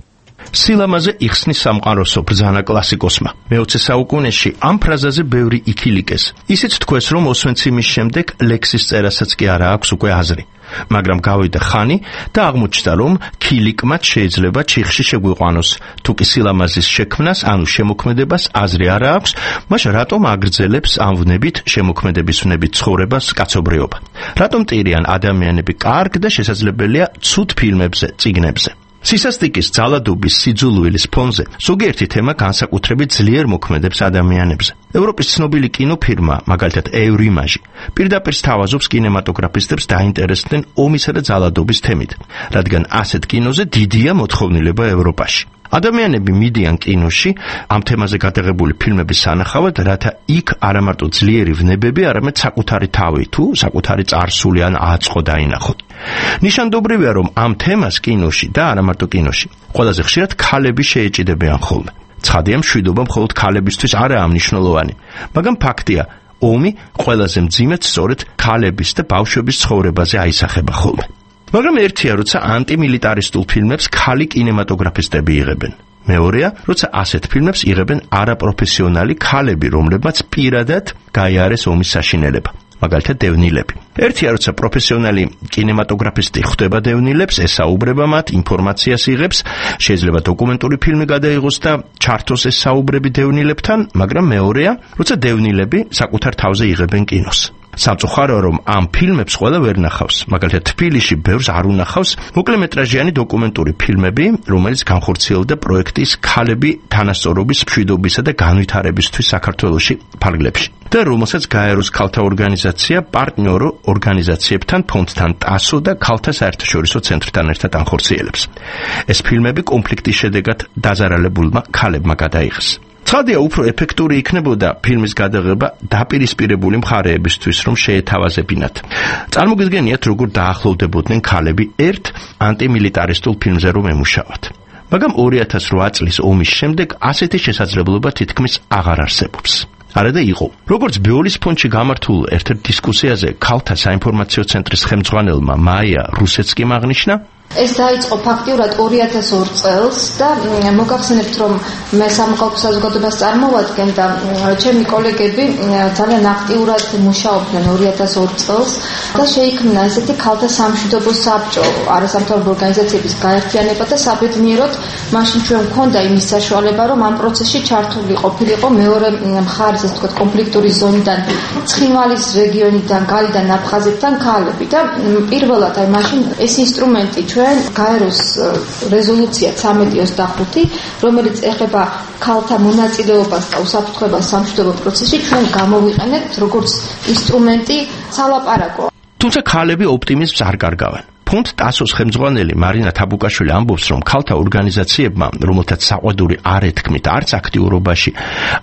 სილამაზე იხსნის სამყაროსო ბრძანა კლასიკოსმა. მე-20 საუკუნეში ამ ფრაზაზე ბევრი იქილიკეს. ისიც თქვეს, რომ ოსვენციმის შემდეგ ლექსის წერასაც კი არა აქვს უკვე აზრი. მაგრამ გავიდა ხანი და აღმოჩნდა, რომ ქილიკმაც შეიძლება ჩიხში შეგვიყვანოს. თუ კი სილამაზის შექმნას, ანუ შემოქმედებას აზრი არა აქვს, მაშინ რატომ აგრძელებს ამ ვნებით, შემოქმედების ვნებით ცხოვრებას კაცობრიობა? რატომ ტირიან ადამიანები კარგ და შესაძლებელია ცუდ ფილმებზე, წიგნებზე? სისასტიკის, ძალადობის, სიძულვილის ფონზე ზოგიერთი თემა განსაკუთრებით ძლიერ მოქმედებს ადამიანებზე. ევროპის ცნობილი კინოფირმა, მაგალითად ევრიმაჟი, პირდაპირ სთავაზობს კინემატოგრაფისტებს დაინტერესდნენ ომისა და ძალადობის თემით, რადგან ასეთ კინოზე დიდია მოთხოვნილება ევროპაში. ადამიანები მიდიან კინოში ამ თემაზე გადაღებული ფილმების სანახავად, რათა იქ არა მარტო ძლიერი ვნებები, არამედ საკუთარი თავი თუ საკუთარი წარსული ან აწყო დაინახოთ. ნიშანდობრივია, რომ ამ თემას კინოში და არა მარტო კინოში ყველაზე ხშირად ქალები შეეჭიდებიან ხოლმე. ცხადია, მშვიდობა მხოლოდ ქალებისთვის არაა მნიშვნელოვანი, მაგრამ ფაქტია, ომი ყველაზე მძიმედ სწორედ ქალების და ბავშვების ცხოვრებაზე აისახება ხოლმე. მაგრამ ერთია, როცა ანტიმილიტარისტულ ფილმებს ქალი კინემატოგრაფისტები იღებენ. მეორეა, როცა ასეთ ფილმებს იღებენ არაპროფესიონალი ქალები, რომლებმაც პირადად გაიარეს ომის საშინელება. მაგალითად დევნილები. ერთია, როცა პროფესიონალი კინემატოგრაფისტი ხვდება დევნილებს, ესაუბრება მათ, ინფორმაციას იღებს, შეიძლება დოკუმენტური ფილმი გადაიღოს და ჩართოს ეს საუბრები დევნილებთან, მაგრამ მეორეა, როცა დევნილები საკუთარ თავზე იღებენ კინოს. სამწუხაროა, რომ ამ ფილმებს ყველა ვერ ნახავს. მაგალითად, თბილისში ბევრს არ უნახავს მოკლემეტრაჟიანი დოკუმენტური ფილმები, რომელიც განხორციელდა პროექტის ქალები თანასწორობის, მშვიდობისა და განვითარებისთვის საქართველოში ფარგლებში. და რომელსაც გაეროს ქალთა ორგანიზაცია პარტნიორ ორგანიზაციებთან, ფონდთან ტასო და ქალთა საერთაშორისო ცენტრთან ერთად ანხორციელებს. ეს ფილმები კონფლიქტის შედეგად დაზარალებულმა ქალებმა გადაიღეს. ცხადია, უფრო ეფექტური იქნებოდა ფილმის გადაღება დაპირისპირებული მხარეებისთვის, რომ შეეთავაზებინათ. წარმოგიდგენიათ, როგორ დაახლოვდებოდნენ ქალები ერთ ანტიმილიტარისტულ ფილმზე რომ ემუშავათ. მაგრამ 2008 წლის ომის შემდეგ ასეთი შესაძლებლობა თითქმის აღარ არსებობს. არადა იყო. როგორც ბეოლის ფონდში გამართულ ერთ-ერთ დისკუსიაზე ქალთა საინფორმაციო ცენტრის ხელმძღვანელმა მაია რუსეცკიმ აღნიშნა, ეს დაიწყო ფაქტიურად 2002 წელს და მოგახსენებთ, რომ მე სამოქალაქო საზოგადოებას წარმოვადგენ და ჩემი კოლეგები ძალიან აქტიურად მუშაობდნენ 2002 წელს და შეიქმნა ესეთი ქალთა სამშვიდობო საბჭო, არასამთავრობო ორგანიზაციების გაერთიანება და საბედნიეროდ მაშინ ჩვენ გვქონდა იმის საშუალება, რომ ამ პროცესში ჩართული ყოფილიყო მეორე მხარის, ასე ვთქვათ, კონფლიქტური ზონიდან, ცხინვალის რეგიონიდან, გალიდან, აფხაზეთიდან ქალები და პირველად აი მაშინ ეს ინსტრუმენტი ჩვენ გაეროს რეზოლუცია 1325, რომელიც ეხება ქალთა მონაწილეობას და უსაფრთხოებას სამშვიდობო პროცესში, ჩვენ გამოვიყენებთ როგორც ინსტრუმენტი სალაპარაკო. თუმცა ქალები ოპტიმიზმს არ კარგავენ. ფონდ ტასოს ხელმძღვანელი მარინა თაბუკაშვილი ამბობს, რომ ქალთა ორგანიზაციებმა, რომელთაც საყვედური არ ეთქმით არც აქტიურობაში,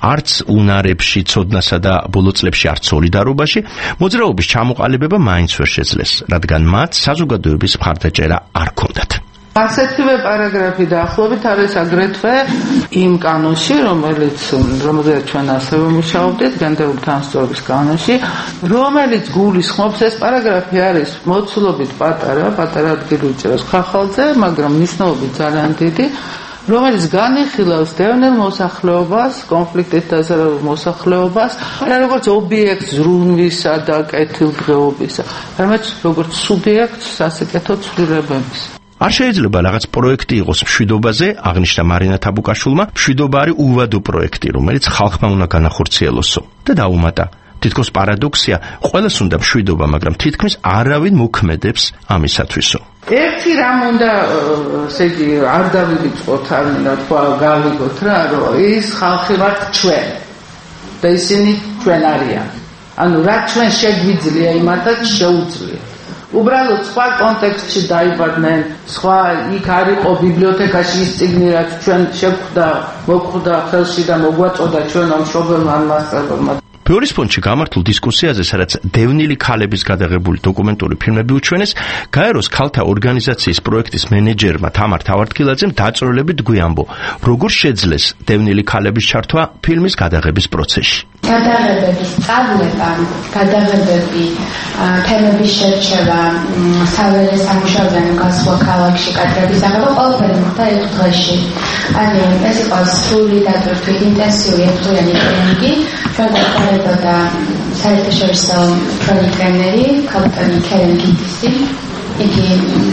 არც უნარებში, ცოდნასა და ბოლო წლებში არც სოლიდარობაში, მოძრაობის ჩამოყალიბება მაინც ვერ შეძლეს, რადგან მათ საზოგადოების მხარდაჭერა არ ჰქონდათ. ასეთივე პარაგრაფი დაახლოებით არის აგრეთვე იმ კანონში, რომელზეც ჩვენ ასევე მუშაობდით, გენდერული თანასწორობის კანონში, რომელიც გულისხმობს, ეს პარაგრაფი არის მოცულობით პატარა ადგილი უჭერს ხახალზე, მაგრამ მნიშვნელობით ძალიან დიდი, რომელიც განიხილავს დევნილ მოსახლეობას, კონფლიქტით დაზარალ მოსახლეობას, არა როგორც ობიექტს ზრუნვისა და კეთილდღეობისა, არამედ როგორც სუბიექტს სასიკეთო ცვლილებების. არ შეიძლება რაღაც პროექტი იყოს მშვიდობაზე, აღნიშნა მარინა თაბუკაშვილმა, მშვიდობა არის უვადო პროექტი, რომელიც ხალხმა უნდა განახორციელოსო და დაუმატა. თითქოს პარადოქსია, ყველას უნდა მშვიდობა, მაგრამ თითქმის არავინ მოქმედებს ამისათვისო. ერთი რამ უნდა, ესე იგი, არ დავივიწყოთ, არ მინდა თქვა, გავიგოთ რა, რომ ის ხალხი ვართ ჩვენ და ისინი ჩვენ არიან. ანუ რა ჩვენ შეგვიძლია, იმათაც შეუძლია. უბრალოდ სხვა კონტექსტში დაიბადნენ, სხვა იქ არ იყო ბიბლიოთეკაში ის წიგნი, რაც ჩვენ მოგვხვდა ხელში და მოგვაწოდა ჩვენო მშობელმა მასწავლებელმა. ბეოლის ფონდში გამართულ დისკუსიაზე, სადაც დევნილი ქალების გადაღებული დოკუმენტური ფილმები უჩვენეს, გაეროს ქალთა ორგანიზაციის პროექტის მენეჯერმა თამარ თავარდქილაძემ დაწვრილებით გვიამბო, როგორ შეძლეს დევნილი ქალების ჩართვა ფილმის გადაღების პროცესში. გადაღებების სწავლება, გადაღებები, თემების შერჩევა, საველე სამუშაოდან გასვლა ქალაქში კადრების აღება ყველაფერი მოხდა ერთ დღეში. ანუ ეს იყო სრული დატვირთვით ინტენსიური ერთდღიანი ტრენინგი, ჩვენ და საერთაშორისო ჩვენი ტრენერი, კაპიტანი კერენ გიტისი, იგი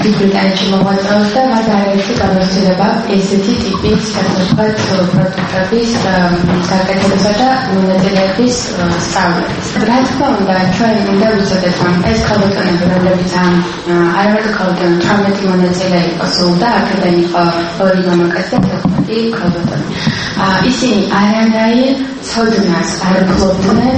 დიდ ბრიტანეთში მოღვაწეობს და მას არაერთი გამოცდილება ესეთი ტიპის პროდუქტების საკეთებისა და მონაწილეების სწავლების. რა თქმა უნდა, ჩვენ უნდა ვუწოდეთ, რომ ეს ქალბატონები, რომლებიც არამედ ქალბატონი 18 მონაწილე იყო სულ და აქედან იყო 2 მამაკაცი და 15 ქალბატონი. ისინი არანაირ ცოდნას არ ფლობდნენ,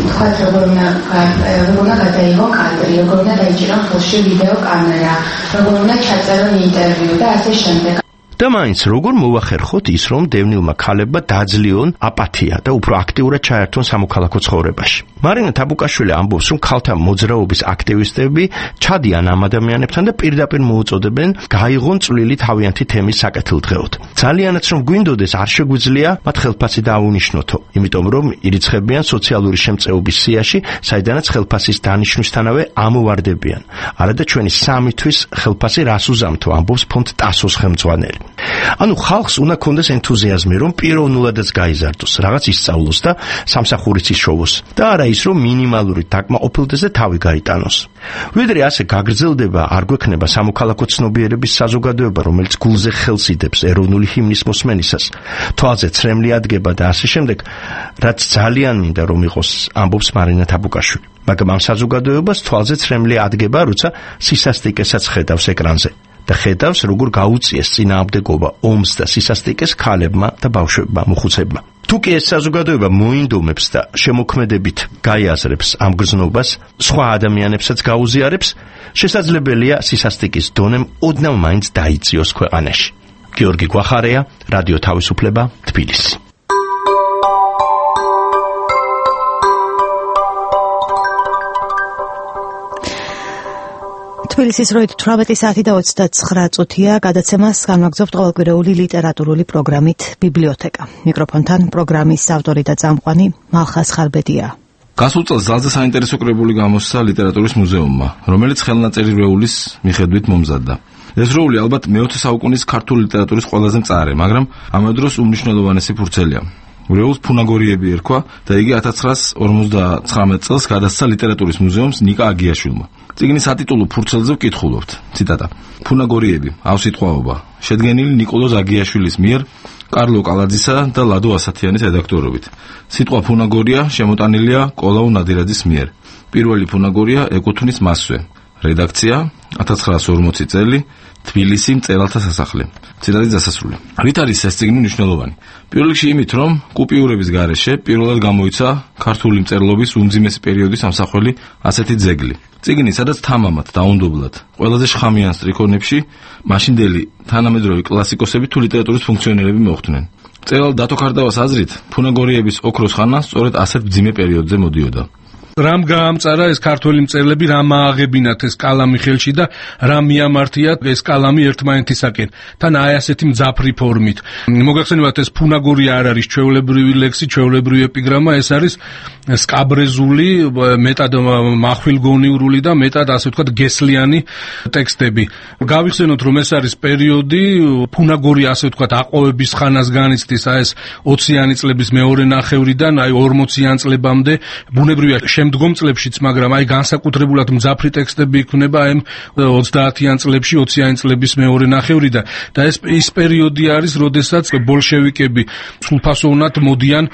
თქვათ როგორ უნდა გადაიღო კადრი, როგორ უნდა დაიჭირონ ხელში ვიდეო კამერა, როგორ უნდა ჩაწერონ ინტერვიუ და ასე შემდეგ. და მაინც როგორ მოახერხოთ ის, რომ დევნილმა ქალებმა დაძლიონ აპათია და უფრო აქტიურად ჩაერთონ სამოქალაქო ცხოვრებაში. მარინა თაბუკაშვილი ამბობს, რომ ქალთა მოძრაობის აქტივისტები ჩადიან ამ ადამიანებთან და პირდაპირ მოუწოდებენ გაიღონ წვლილი თავიანთი თემის საკეთილდღეოდ. ძალიანაც რომ გვინდოდეს, არ შეგვიძლია მათ ხელფასი დაუნიშნოთო, იმიტომ რომ ირიცხებიან სოციალური შემწეობის სიაში, საიდანაც ხელფასის დანიშვნისთანავე ამოვარდებიან. არადა ჩვენი სამისთვის ხელფასი რას უზამთო, ამბობს ფონდ ტასოს ხელმძღვანელი. ანუ ხალხს უნდა კონდეს ენთუზიაზმი, რომ პიროვნულადაც გაიზარდოს, რაღაც ისწავლოს და სამსახურიც იშოვოს და არა ის, რომ მინიმალური დაკმაყოფილდეს და თავი გაიტანოს. ვიდრე ასე გაგრძელდება, არ გვექნება სამოქალაქო ცნობიერების საზოგადოება, რომელიც გულზე ხელს იდებს ეროვნული ჰიმნის მოსმენისას, თვალზე ცრემლი ადგება და ასე შემდეგ, რაც ძალიან მინდა რომ იყოს, ამბობს მარინა თაბუკაშვილი. მაგრამ ამ საზოგადოებას თვალზე ცრემლი ადგება, როცა სისასტიკესაც ხედავს ეკრანზე. და ხედავს, როგორ გაუწიეს წინააღმდეგობა ომს და სისასტიკეს ქალებმა და ბავშვებმა, მოხუცებმა. თუ კი ეს საზოგადოება მოინდომებს და შემოქმედებით გაიაზრებს ამ გრძნობას, სხვა ადამიანებსაც გაუზიარებს, შესაძლებელია სისასტიკის დონემ ოდნავ მაინც დაიწიოს ქვეყანაში. გიორგი გვახარია, რადიო თავისუფლება, თბილისი. თბილისის როით 18 საათი და 29 წუთია. გადაცემას განვაგრძობთ ყოველკვირეული ლიტერატურული პროგრამით ბიბლიოთეკა. მიკროფონთან პროგრამის ავტორი და წამყვანი მალხას ხარბედია. გასულ წელს ძალზე საინტერესო კრებული გამოსცა ლიტერატურის მუზეუმმა, რომელიც ხელნაწერი რეულის მიხედვით მომზადდა. ეს რეული ალბათ მე-20 საუკუნის ქართული ლიტერატურის ყველაზე მწარე, მაგრამ ამავე დროს უმნიშვნელოვანესი ფურცელია. რეულს ფუნაგორიები ერქვა და იგი 1959 წელს გადასცა ლიტერატურის მუზეუმს ნიკა აგიაშვილმა. წიგნის ატიტულო ფურცელზე ვკითხულობთ. ციტატა: ფუნაგორიები, ავსიტყვაობა, შედგენილი ნიკოლოზ აგიაშვილის მიერ, კარლო კალაძისა და ლადო ასათიანის რედაქტორობით. სიტყვა ფუნაგორია შემოტანილია კოლაუ ნადირაძის მიერ. პირველი ფუნაგორია ეკუთვნის მასვე. რედაქცია 1940 წელი, თბილისი, მწერალთა სასახლე. ციტატის დასასრული. რით არის ეს წიგნი მნიშვნელოვანი? პირველ რიგში იმით, რომ კუპიურების გარეშე პირველად გამოიცა ქართული მწერლობის უმძიმესი პერიოდის ამსახველი ასეთი ძეგლი. წიგნი, სადაც თამამად, დაუნდობლად, ყველაზე შხამიან სტრიქონებში მაშინდელი თანამედროვე კლასიკოსები თუ ლიტერატურის ფუნქციონერები მოხვდნენ. მწერალ დათო ქარდავას აზრით, ფუნაგორიების ოქროს ხანა სწორედ ასეთ მძიმე პერიოდზე მოდიოდა. რამ გაამწარა ეს ქართველი მწერლები, რამ ააღებინათ ეს კალამი ხელში და რამ მიამართიათ ეს კალამი ერთმანეთისაკენ. თან აი ასეთი მძაფრი ფორმით. მოგახსენებათ, ეს ფუნაგორია არ არის ჩვეულებრივი ლექსი, ჩვეულებრივი ეპიგრამა, ეს არის სკაბრეზული, მეტად מחვილგონიურული და მეტად ასე ვთქვათ გესლიანი ტექსტები. გავიხსენოთ, რომ ეს არის პერიოდი, ფუნაგორია ასე ვთქვათ აყვავების ხანას განიცდის, აი ეს 20-იანი წლების მეორე ნახევრიდან აი 40-იან წლებამდე, ბუნებრივია შემდგომ წლებშიც, მაგრამ აი განსაკუთრებულად მძაფრი ტექსტები იქნება აი 30-იან წლებში, 20-იანი წლების მეორე ნახევრიდან და ეს პერიოდი არის, როდესაც ბოლშევიკები სრულფასოვნად მოდიან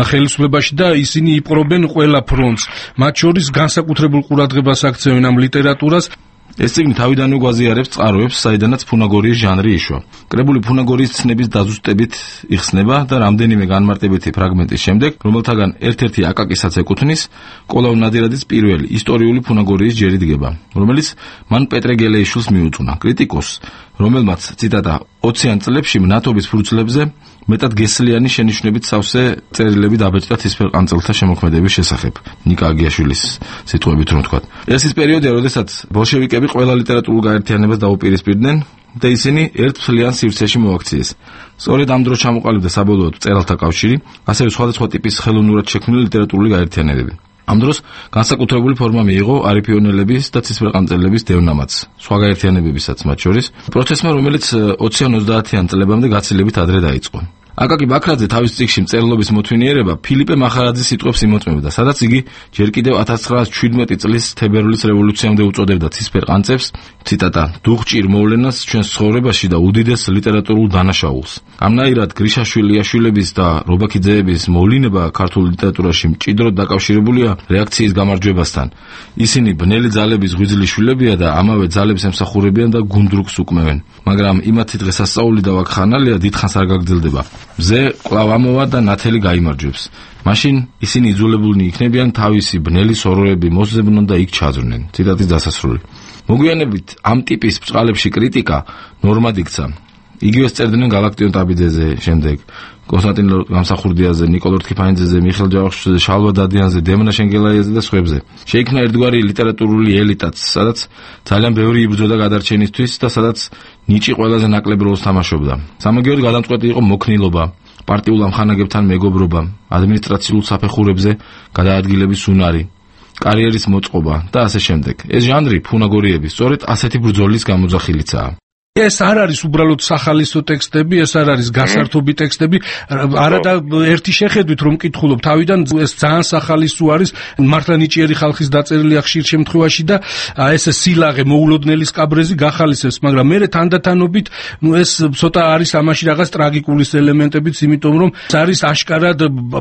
ხელისუფლებაში და ისინი იპყრობენ ყველა ფრონტს. მათ შორის განსაკუთრებულ ყურადღებას აქცევენ ამ ლიტერატურას. ეს წიგნი თავიდანვე გვაზიარებს წყაროებს, საიდანაც ფუნაგორიის ჟანრი იშვა. კრებული ფუნაგორიის ცნების დაზუსტებით იხსნება და რამდენიმე განმარტებითი ფრაგმენტის შემდეგ, რომელთაგან ერთ-ერთი აკაკისაც ეკუთვნის, კოლაუ ნადირაძის პირველი ისტორიული ფუნაგორიის ჯერი დგება, რომელიც მან პეტრე გელეიშვილს მიუძღვნა, კრიტიკოსს, რომელმაც ციტატა 20-იან წლებში მნათობის ფურცლებზე მეტად გესლიანი შენიშვნებით სავსე წერილები დაბეჭდა თისფერყანწელთა შემოქმედების შესახებ. ნიკა აგიაშვილის სიტყვებით რომ ვთქვათ. ეს ის პერიოდია, როდესაც ბოლშევიკები ყველა ლიტერატურულ გაერთიანებას დაუპირისპირდნენ და ისინი ერთ მთლიან სივრცეში მოაქციეს. სწორედ ამ დროს ჩამოყალიბდა საბოლოოდ მწერალთა კავშირი, ასევე სხვადასხვა ტიპის ხელოვნურად შექმნილი ლიტერატურული გაერთიანებები. ამ დროს განსაკუთრებული ფორმა მიიღო არიფიონელების და ცისფერყანწელების დევნამაც, სხვა გაერთიანებებისაც მათ შორის, პროცესმა, რომელიც 20-30-იან წლებამდე გაცილებით ადრე დაიწყო. აკაკი ბაქრაძე თავის წიგნში მწერლობის მოთვინიერება ფილიპე მახარაძის სიტყვებს იმოწმებდა, სადაც იგი ჯერ კიდევ 1917 წლის თებერვლის რევოლუციამდე უწოდებდა ცისფერყანწებს, ციტატა: "დუღჭირ მოვლენას ჩვენს ცხოვრებაში და უდიდეს ლიტერატურულ დანაშაულს". ამნაირად გრიშაშვილიშვილების და რობაქიძეების მოვლინება ქართულ ლიტერატურაში მჭიდროდ დაკავშირებულია რეაქციის გამარჯვებასთან. ისინი ბნელი ძალების ღვიძლი შვილებია და ამავე ძალებს ემსახურებიან და გუნდრუკს უკმევენ. მაგრამ იმათი დღესასწაული და ვაკხანალია დიდხანს არ გაგრძელდება. მზე კვლავ ამოვა და ნათელი გაიმარჯვებს. მაშინ ისინი იძულებულნი იქნებიან თავისი ბნელი სოროები მოსზებნონ და იქ ჩაძვრნენ. ციტატის დასასრული. მოგვიანებით ამ ტიპის ბრწყალებში კრიტიკა ნორმად იქცა. იგივეს წერდნენ გალაქტიონ ტაბიძეზე, შემდეგ კონსტანტინ გამსახურდიაზე, ნიკოლოზ რქიფანიძეზე, მიხეილ ჯავახიშვილზე, შალვა დადიანზე, დემნა შენგელაიაზე და სხვებზე. შეიქმნა ერთგვარი ლიტერატურული ელიტაც, სადაც ძალიან ბევრი იბრძოდა გადარჩენისთვის და სადაც ნიჭი ყველაზე ნაკლებ როლს თამაშობდა. სამაგიეროდ გადამწყვეტი იყო მოქნილობა, პარტიულ ამხანაგებთან მეგობრობა, ადმინისტრაციულ საფეხურებზე გადაადგილების უნარი, კარიერის მოწყობა და ასე შემდეგ. ეს ჟანრი ფუნაგორიები სწორედ ასეთი ბრძოლის გამოძახილიცაა. ეს არ არის უბრალოდ სახალისო ტექსტები, ეს არ არის გასართობი ტექსტები, არადა ერთი შეხედვით რომ მკითხულობ, თავიდან ეს ძალიან სახალისო არის, მართლა ნიჭიერი ხალხის დაწერილია ხშირ შემთხვევაში და ეს სილაღე მოულოდნელი სკაბრეზი გახალისებს, მაგრამ მე თანდათანობით ეს ცოტა არის ამაში რაღაც ტრაგიკულის ელემენტებიც, იმიტომ რომ ეს არის აშკარად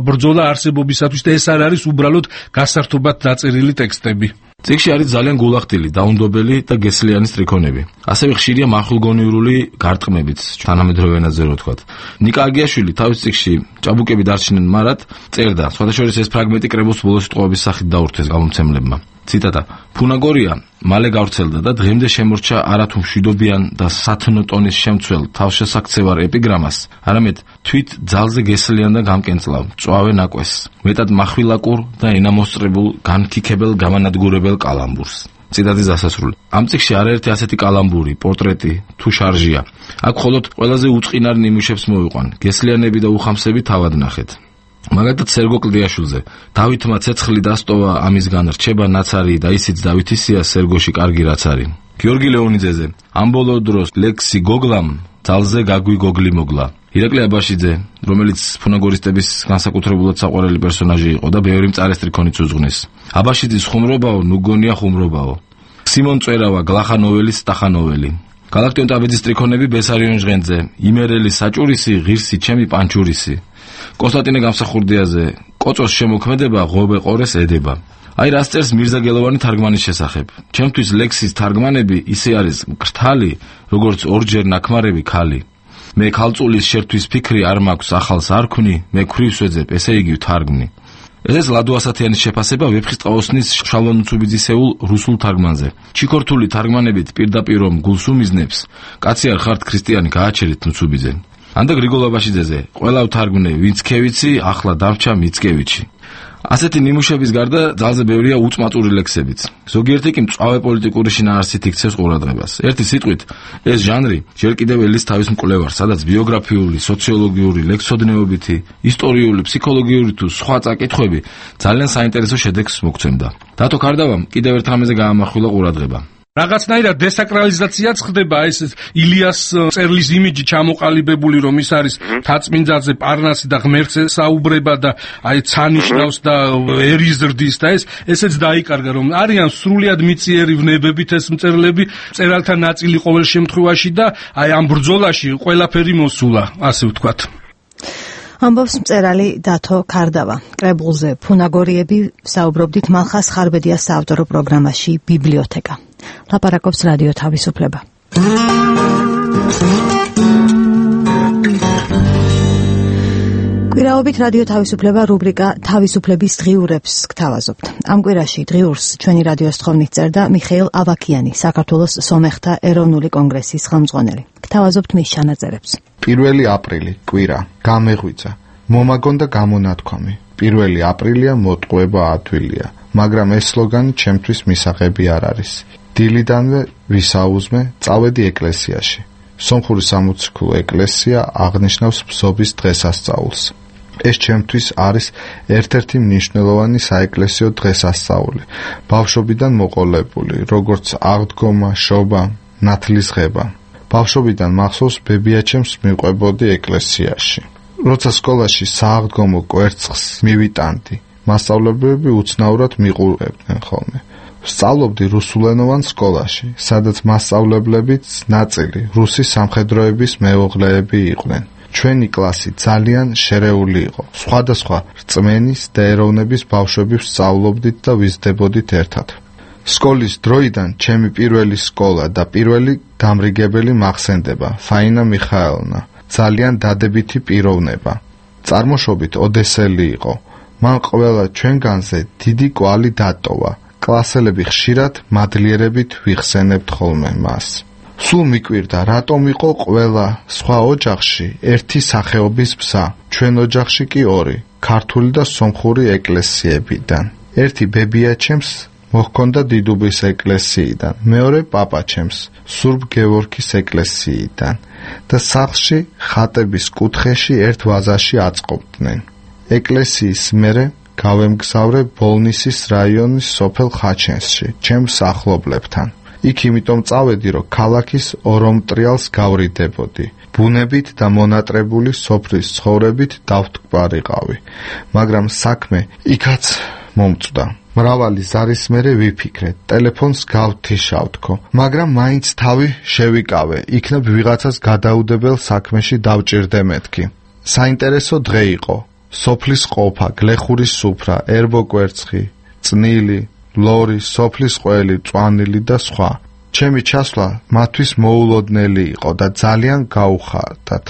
ბრძოლა არსებობისათვის და ეს არ არის უბრალოდ გასართობად დაწერილი ტექსტები. წიგნში არის ძალიან გულახდილი, დაუნდობელი და გესლიანი სტრიქონები. ასევე ხშირია მახვილგონიურული გარტყმებიც, თანამედროვე ენაზე რო ვთქვათ. ნიკა აგიაშვილი თავის წიგნში ჭაბუკები დარჩნენ მარად წერდა, სხვადასხვა ეს ფრაგმენტი კრებულს ბოლოს სიტყვების სახით დაურთეს გამომცემლებმა. ციტატა: "ფუნაგორია მალე გავრცელდა და დღემდე შემორჩა არათუ მშვიდობიან და სათნო ტონის შემცველ თავშესაქცევარ ეპიგრამას, არამედ თვით ძალზე გესლიან და გამკენწლავ, მწვავე ნაკვესს, მეტად מחვილაკურ და ენამოსწრებულ, განქიქებელ, გამანადგურებელ კალამბურს". წიდადის დასასრული. ამ წიგნში არაერთი ასეთი კალამბური, პორტრეტი თუ შარჟია. აქ მხოლოდ ყველაზე უწყინარ ნიმუშებს მოვიყვან. გესლიანები და უხამსები თავად ნახეთ. მაგალითად სერგო კლდიაშვილზე დავითმა ცეცხლი დასტოვა ამისგან რჩება ნაცარი და ისიც დავითის სია სერგოში კარგი რაც არის. გიორგი ლეონიძეზე ამ ბოლო დროს ლექსი გოგლამ ძალზე გაგვი გოგლი მოგლა. ირაკლი აბაშიძე, რომელიც ფუნაგორისტების განსაკუთრებულად საყვარელი პერსონაჟი იყო და ბევრი მწარესტრიქონიც უძღნის. აბაშიძის ხუმრობაო, ნუგონია ხუმრობაო. სიმონ წერავა, გლახანოველის სტახანოველი. გალაქტიონ ტაბიძის ტრიქონები ბესარიონ ჟღენძე, იმერელი საჭურისი, ღირსი ჩემი პანჩურისი. კონსტანტინე გამსახურდიაზე, კოწოს შემოქმედება ღობე ყორეს ედება. აი რას წერს მირზა გელოვანი თარგმანის შესახებ. ჩემთვის ლექსის თარგმანები ისე არის მკრთალი, როგორც ორჯერ ნაქმარები ქალი. მე ქალწულის შერთვის ფიქრი არ მაქვს, ახალს არ ქმნი, მე ქვრივს ვეძებ, ესე იგი ვთარგმნი. ეს ლადო ასათიანის შეფასება ვეფხისტყაოსნის შალვა ნუცუბიძისეულ რუსულ თარგმანზე. ჩიქორთული თარგმანებით პირდაპირ რომ გულს უმიზნებს, კაცი არ ხართ ქრისტიანი, გააჩერეთ ნუცუბიძე. ანდა გრიგოლ აბაშიძეზე, ყველა ვთარგმნე, ვინც ქევიცი, ახლა დამრჩა მიცკევიჩი. ასეთი ნიმუშების გარდა ძალზე ბევრია უწმაწური ლექსებიც. ზოგიერთი კი მწვავე პოლიტიკური შინაარსით იქცევს ყურადღებას. ერთი სიტყვით, ეს ჟანრი ჯერ კიდევ ელის თავის მკვლევარს, სადაც ბიოგრაფიული, სოციოლოგიური, ლექსოდნეობითი, ისტორიული, ფსიქოლოგიური თუ სხვა წაკითხვები ძალიან საინტერესო შედეგს მოგცემდა. დათო ქარდავამ კიდევ ერთ რამეზე გაამახვილა ყურადღება. რაღაცნაირად დესაკრალიზაციაც ხდება ეს ილიას წერლის იმიჯი ჩამოყალიბებული რომ ის არის თაწმინდაზე პარნასი და ღმერთზე საუბრება და აი ცანიშნავს და ერიზრდის და ესეც დაიკარგა რომ არიან სრულიად მიწიერი ვნებებით ეს მწერლები მწერალთა ნაწილი ყოველ შემთხვევაში და აი ამ ბრძოლაში ყველაფერი მოსულა ასე ვთქვათ. ამბობს მწერალი დათო ქარდავა. კრებულზე ფუნაგორიები საუბრობდით მალხას ხარბედიას საავტორო პროგრამაში ბიბლიოთეკა. ლაპარაკობს რადიო თავისუფლება. კვირაობით რადიო თავისუფლება რუბრიკა თავისუფლების დღიურებს გთავაზობთ. ამ კვირაში დღიურს ჩვენი რადიოს თხოვნით წერდა მიხეილ ავაქიანი, საქართველოს სომეხთა ეროვნული კონგრესის ხელმძღვანელი. გთავაზობთ მის ჩანაწერებს. 1 აპრილი კვირა გამეღვიძა მომაგონ და გამონათქვამი 1 აპრილია მოტყუება ადვილია მაგრამ ეს სლოგანი ჩემთვის მისაღები არ არის დილიდანვე ვისაუზმე წავედი ეკლესიაში სომხური სამოციქულო ეკლესია აღნიშნავს ბზობის დღესასწაულს ეს ჩემთვის არის ერთ-ერთი მნიშვნელოვანი საეკლესიო დღესასწაული ბავშვობიდან მოყოლებული როგორც აღდგომა შობა ნათლისღება ბავშვობიდან მახსოვს ბებიაჩემს მიყვებოდი ეკლესიაში. როცა სკოლაში სააღდგომო კვერცხს მივიტანდი, მასწავლებლები უცნაურად მიყურებდნენ ხოლმე. სწავლობდი რუსულენოვან სკოლაში, სადაც მასწავლებლებიც ნაწილი რუსი სამხედროების მეუღლეები იყვნენ. ჩვენი კლასი ძალიან შერეული იყო. სხვადასხვა რწმენის და ეროვნების ბავშვები ვსწავლობდით და ვიზრდებოდით ერთად. სკოლის დროიდან ჩემი პირველი სკოლა და პირველი დამრიგებელი მახსენდება ფაინა მიხაელოვნა ძალიან დადებითი პიროვნება წარმოშობით ოდესელი იყო მან ყველა ჩვენგანზე დიდი კვალი დატოვა კლასელები ხშირად მადლიერებით ვიხსენებთ ხოლმე მას სულ მიკვირდა რატომ იყო ყველა სხვა ოჯახში ერთი სახეობის ბზა ჩვენ ოჯახში კი ორი ქართული და სომხური ეკლესიებიდან ერთი ბებიაჩემს მოჰქონდა დიდუბის ეკლესიიდან, მეორე პაპაჩემს, სურბ გევორგის ეკლესიიდან და სახლში ხატების კუთხეში ერთ ვაზაში აწყობდნენ. ეკლესიის მერე გავემგზავრე ბოლნისის რაიონის სოფელ ხაჩენსში, ჩემს ახლობლებთან. იქ იმიტომ წავედი, რომ ქალაქის ორომტრიალს გავრიდებოდი. ბუნებით და მონატრებული სოფლის ცხოვრებით დავთქვარიყავი, მაგრამ საქმე იქაც მომწვდა. მრავალი ზარის მერე ვიფიქრე, ტელეფონს გავთიშავთქო, მაგრამ მაინც თავი შევიკავე, იქნებ ვიღაცას გადაუდებელ საქმეში დავჭირდე მეთქი. საინტერესო დღე იყო. სოფლის ყოფა, გლეხურის სუფრა, ერბო კვერცხი, წნილი, ლორი, სოფლის ყველი, წვანილი და სხვა. ჩემი ჩასვლა მათთვის მოულოდნელი იყო და ძალიან გაუხარდათ.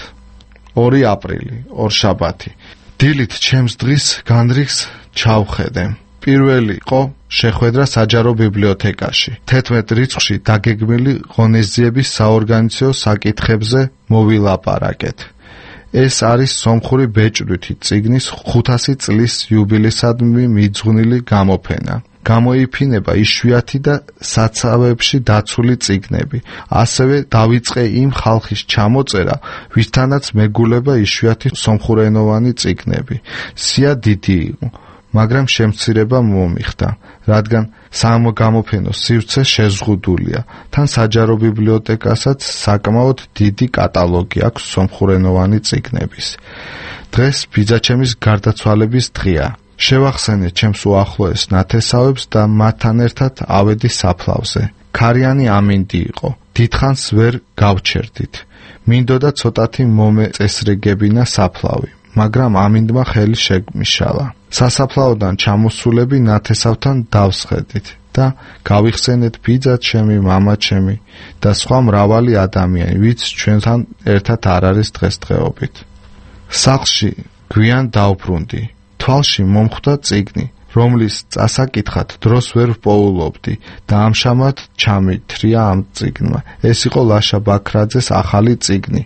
2 აპრილი, ორშაბათი. დილით ჩემს დღის განრიგს ჩავხედე. პირველი იყო შეხვედრა საჯარო ბიბლიოთეკაში. 11 რიცხვში დაგეგმილი ღონისძიების საორგანიზაციო საკითხებზე მოვილაპარაკეთ. ეს არის სომხური ბეჭდვითი წიგნის 500 წლის იუბილეისადმი მიძღვნილი გამოფენა. გამოიფინება იშვიათი და საცავებში დაცული წიგნები. ასევე დავიწყე იმ ხალხის ჩამოწერა, ვისთანაც მეგულება იშვიათი სომხურენოვანი წიგნები. სია დიდი იყო, მაგრამ შემცირება მომიხდა, რადგან სამოგამოფენო სივრცე შეზღუდულია. თან საჯარო ბიბლიოთეკასაც საკმაოდ დიდი კატალოგი აქვს სომხურენოვანი წიგნების. დღეს ბიძაჩემის გარდაცვალების დღეა. შევახსენე ჩემს უახლოეს ნათესავებს და მათთან ერთად ავედი საფლავზე. ქარიანი ამინდი იყო. დიდხანს ვერ გავჩერდით. მინდოდა ცოტათი მომეწესრიგებინა საფლავი, მაგრამ ამინდმა ხელი შეგმიშალა. სასაფლაოდან ჩამოსულები ნათესავთან დავსხედით და გავიხსენეთ ბიძაჩემი, მამაჩემი და სხვა მრავალი ადამიანი, ვინც ჩვენთან ერთად არ არის დღესდღეობით. სახლში გვიან დავბრუნდი. თვალში მომხვდა წიგნი, რომლის წასაკითხად დროს ვერ ვპოულობდი და ამჟამად ჩამითრია ამ წიგნმა. ეს იყო ლაშა ბაქრაძეს ახალი წიგნი,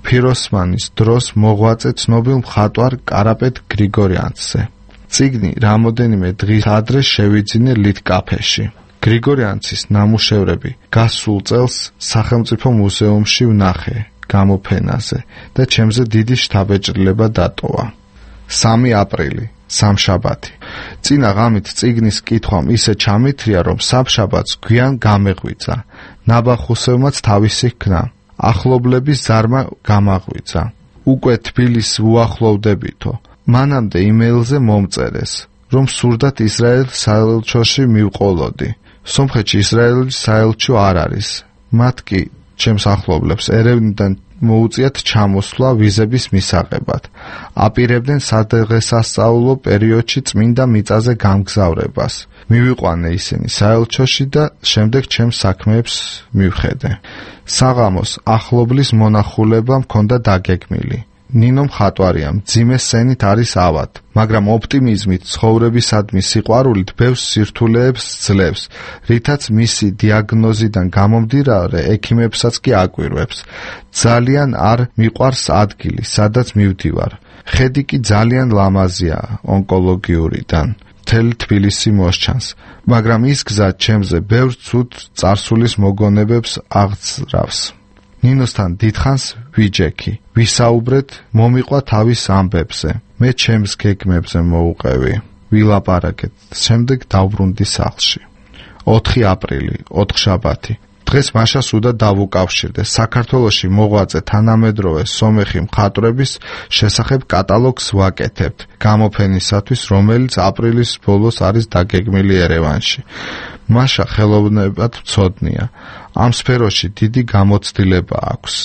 ფიროსმანის დროს მოღვაწე ცნობილ მხატვარ კარაპეტ გრიგორიანცზე. წიგნი რამოდენიმე დღის ადრე შევიძინე ლიტკაფეში. გრიგორიანცის ნამუშევრები გასულ წელს სახელმწიფო მუზეუმში ვნახე გამოფენაზე და ჩემზე დიდი შთაბეჭდილება დატოვა. 3 აპრილი, სამშაბათი. წინა ღამით წიგნის კითხვამ ისე ჩამითრია, რომ სამშაბათს გვიან გამეღვიძა. ნაბახუსევმაც თავისი ქნა. ახლობლების ზარმა გამაღვიძა. უკვე თბილისს უახლოვდებითო. მანამდე იმეილზე მომწერეს, რომ სურდათ ისრაელ საელჩოში მივყოლოდი. სომხეთში ისრაელის საელჩო არ არის. მათ კი ჩემს ახლობლებს ერევნიდან მოუწიათ ჩამოსვლა ვიზების მისაღებად. აპირებდნენ სადღესასწაულო პერიოდში წმინდა მიწაზე გამგზავრებას. მივიყვანე ისინი საელჩოში და შემდეგ ჩემს საქმეებს მივხედე. საღამოს ახლობლის მონახულება მქონდა დაგეგმილი. ნინო მხატვარია, მძიმე სცენით არის ავად, მაგრამ ოპტიმიზმით, ცხოვრებისადმი სიყვარულით ბევრ სირთულეებს ძლევს, რითაც მისი დიაგნოზიდან გამომდინარე ექიმებსაც კი აკვირვებს. ძალიან არ მიყვარს ადგილი, სადაც მივდივარ. ხედი კი ძალიან ლამაზია ონკოლოგიურიდან. მთელი თბილისი მოსჩანს, მაგრამ ის გზა ჩემზე ბევრ ცუდ წარსულის მოგონებებს აღძრავს. ნინოსთან დიდხანს ვიჯექი, ვისაუბრეთ, მომიყვა თავის ამბებზე. მე ჩემს გეგმებზე მოუყევი, ვილაპარაკეთ, შემდეგ დავბრუნდი სახლში. 4 აპრილი, ოთხშაბათი. დღეს მაშას უნდა დავუკავშირდე საქართველოში მოღვაწე თანამედროვე სომეხი მხატვრების შესახებ კატალოგს ვაკეთებთ გამოფენისათვის, რომელიც აპრილის ბოლოს არის დაგეგმილი ერევანში. მაშა ხელოვნებად მცოდნია. ამ სფეროში დიდი გამოცდილება აქვს.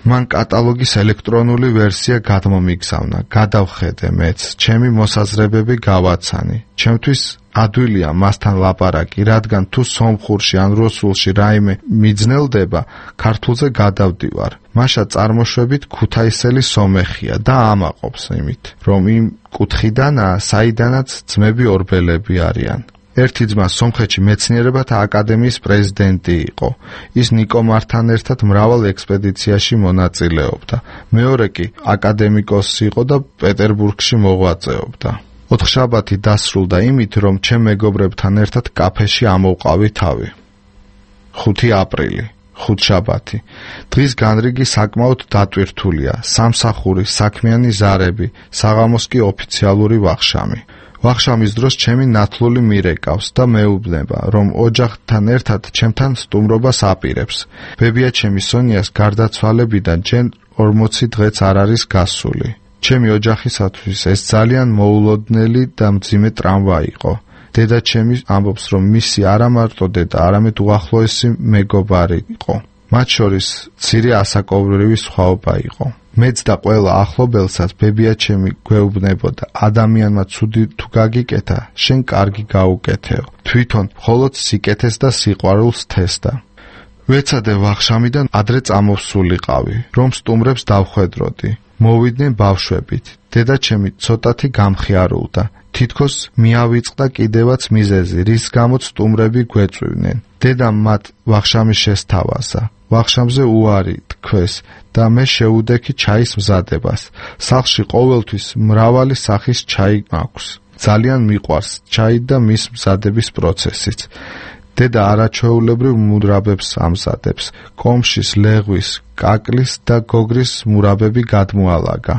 მან კატალოგის ელექტრონული ვერსია გადმომიგზავნა, გადავხედე მეც, ჩემი მოსაზრებები გავაცანი. ჩემთვის ადვილია მასთან ლაპარაკი, რადგან თუ სომხურში ან რუსულში რაიმე მიძნელდება, ქართულზე გადავდივარ. მაშა წარმოშვებით ქუთაისელი სომეხია და ამაყობს იმით, რომ იმ კუთხიდანაა, საიდანაც ძმები ორბელები არიან. ერთი ძმა სომხეთში მეცნიერებათა აკადემიის პრეზიდენტი იყო. ის ნიკომართან ერთად მრავალ ექსპედიციაში მონაწილეობდა. მეორე კი აკადემიკოსი იყო და პეტერბურგში მოღვაწეობდა. ოთხშაბათი დასრულდა იმით, რომ ჩემ მეგობრებთან ერთად კაფეში ამოვყავი თავი. 5 აპრილი, ხუთშაბათი. დღის განრიგი საკმაოდ დატვირთულია. სამსახური, საქმიანი ზარები, საღამოს კი ოფიციალური ვახშამი. ვახშამის დროს ჩემი ნათლული მირეკავს და მეუბნება, რომ ოჯახთან ერთად ჩემთან სტუმრობას აპირებს. ბებია-ჩემი სონიას გარდაცვალებიდან ჯერ 40 დღეც არ არის გასული. ჩემი ოჯახისათვის ეს ძალიან მოულოდნელი და მძიმე ტრამვა იყო. დედა-ჩემი ამბობს, რომ მისი არა მარტო დედა, არამედ უახლოესი მეგობარი იყო. მათ შორის მცირე ასაკობრივი სხვაობა იყო. მეც და ყველა ახლობელსაც ბებია-ჩემი გვეუბნებოდა, ადამიანმა ცუდი თუ გაგიკეთა, შენ კარგი გაუკეთეო. თვითონ მხოლოდ სიკეთეს და სიყვარულს თესდა. ვეცადე ვახშამიდან ადრე წამოვსულიყავი, რომ სტუმრებს დავხვედროდი. მოვიდნენ ბავშვებით. დედა-ჩემი ცოტათი გამხიარულდა. თითქოს მიავიწყდა კიდევაც მიზეზი, რის გამოც სტუმრები გვეწვივნენ. დედამ მათ ვახშამი შესთავაზა. ვახშამზე უარი თქვეს და მე შეუდექი ჩაის მზადებას. სახლში ყოველთვის მრავალი სახის ჩაი მაქვს. ძალიან მიყვარს ჩაი და მის მზადების პროცესიც. დედა არაჩვეულებრივ მურაბებს ამზადებს. კომშის, ლეღვის, კაკლის და გოგრის მურაბები გადმოალაგა.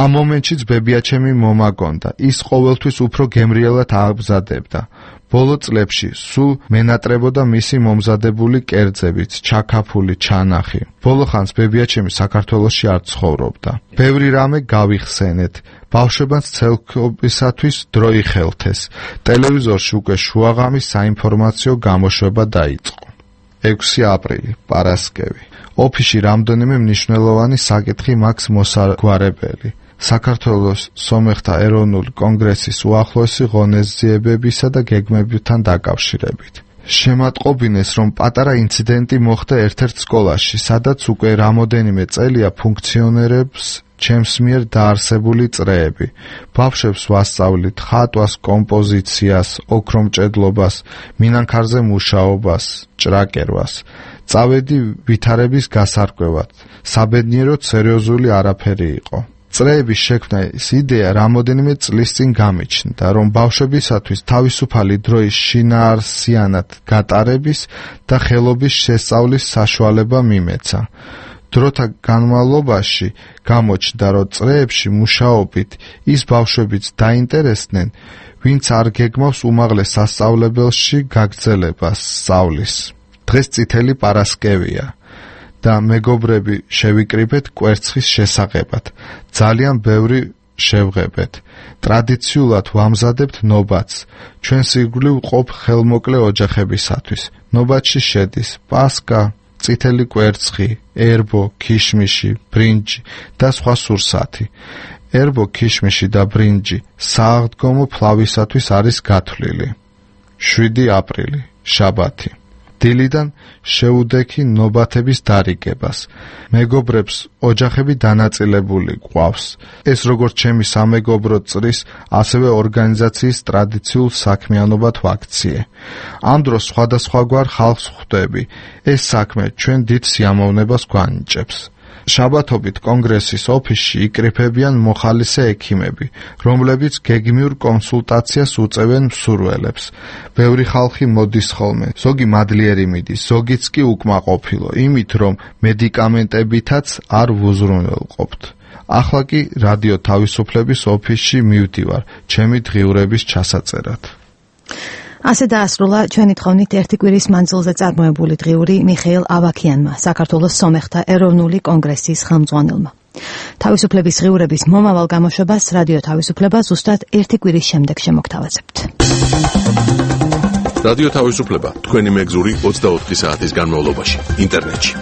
ამ მომენტშიც ბებიაჩემი მომაგონდა. ის ყოველთვის უფრო გემრიელად ამზადებდა. ბოლო წლებში სულ მენატრებოდა მისი მომზადებული კერძებით, ჩაქაფული, ჩანახი. ბოლო ხანს ბებიაჩემი საქართველოში არ ცხოვრობდა. ბევრი რამე გავიხსენეთ. ბავშვებად ცელქობისათვის დრო იხელთეს. ტელევიზორში უკვე შუაღამის საინფორმაციო გამოშვება დაიწყო. 6 აპრილი, პარასკევი. ოფისში რამდენიმე მნიშვნელოვანი საკითხი მაქვს მოსაგვარებელი. საქართველოს სომეხთა ეროვნული კონგრესის უახლოესი ღონისძიებებისა და გეგმებთან დაკავშირებით. შემატყობინეს, რომ პატარა ინციდენტი მოხდა ერთ-ერთ სკოლაში, სადაც უკვე რამოდენიმე წელია ფუნქციონერებს ჩემს მიერ დაარსებული წრეები. ბავშვებს ვასწავლით ხატვას, კომპოზიციას, ოქრომჭედლობას, მინანქარზე მუშაობას, ჭრაკერვას. წავედი ვითარების გასარკვევად. საბედნიეროდ სერიოზული არაფერი იყო. წრეების შექმნის იდეა რამოდენიმე წლის წინ გამიჩნდა, რომ ბავშვებისათვის თავისუფალი დროის შინაარსიანად გატარების და ხელობის შესწავლის საშუალება მიმეცა. დროთა განმავლობაში გამოჩნდა, რომ წრეებში მუშაობით ის ბავშვებიც დაინტერესდნენ, ვინც არ გეგმავს უმაღლეს სასწავლებელში გაგრძელებას სწავლის. დღეს წითელი პარასკევია და მეგობრები შევიკრიბეთ კვერცხის შესაღებად. ძალიან ბევრი შევღებეთ. ტრადიციულად ვამზადებთ ნობათს. ჩვენს ირგვლივ ყოფ ხელმოკლე ოჯახებისათვის. ნობათში შედის პასკა, წითელი კვერცხი, ერბო, ქიშმიში, ბრინჯი და სხვა სურსათი. ერბო, ქიშმიში და ბრინჯი სააღდგომო ფლავისათვის არის გათვლილი. 7 აპრილი, შაბათი. დილიდან შეუდექი ნობათების დარიგებას. მეგობრებს ოჯახები დანაწილებული გვყავს. ეს როგორც ჩემი სამეგობრო წრის, ასევე ორგანიზაციის ტრადიციულ საქმიანობად ვაქციე. ამ დროს სხვადასხვაგვარ ხალხს ხვდები. ეს საქმე ჩვენ დიდ სიამოვნებას გვანიჭებს. შაბათობით კონგრესის ოფისში იკრიფებიან მოხალისე ექიმები, რომლებიც გეგმიურ კონსულტაციას უწევენ მსურველებს. ბევრი ხალხი მოდის ხოლმე, ზოგი მადლიერი მიდის, ზოგიც კი უკმაყოფილო, იმით რომ მედიკამენტებითაც არ ვუზრუნველყოფთ. ახლა კი რადიო თავისუფლების ოფისში მივდივარ, ჩემი დღიურების ჩასაწერად. ასე დაასრულა ჩვენი თხოვნით ერთი კვირის მანძილზე წარმოებული დღიური მიხეილ ავაქიანმა, საქართველოს სომეხთა ეროვნული კონგრესის ხელმძღვანელმა. თავისუფლების დღიურების მომავალ გამოშვებას რადიო თავისუფლება ზუსტად ერთი კვირის შემდეგ შემოგთავაზებთ. რადიო თავისუფლება თქვენი მეგზური 24 საათის განმავლობაში ინტერნეტში.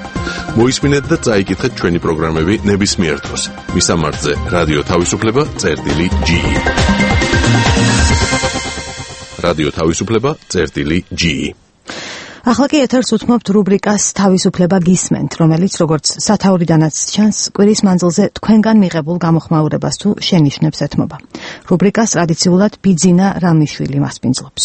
მოისმინეთ და წაიკითხეთ ჩვენი პროგრამები ნებისმიერ დროს. მისამართზე რადიო თავისუფლება.ge რადიო თავისუფლება.ge ახლა კი ეთერს უთმობთ რუბრიკას თავისუფლება გისმენთ, რომელიც როგორც სათაურიდანაც ჩანს, კვირის მანძილზე თქვენგან მიღებულ გამოხმაურებას თუ შენიშვნებს ეთმობა. რუბრიკას ტრადიციულად ბიძინა რამიშვილი მასპინძლობს.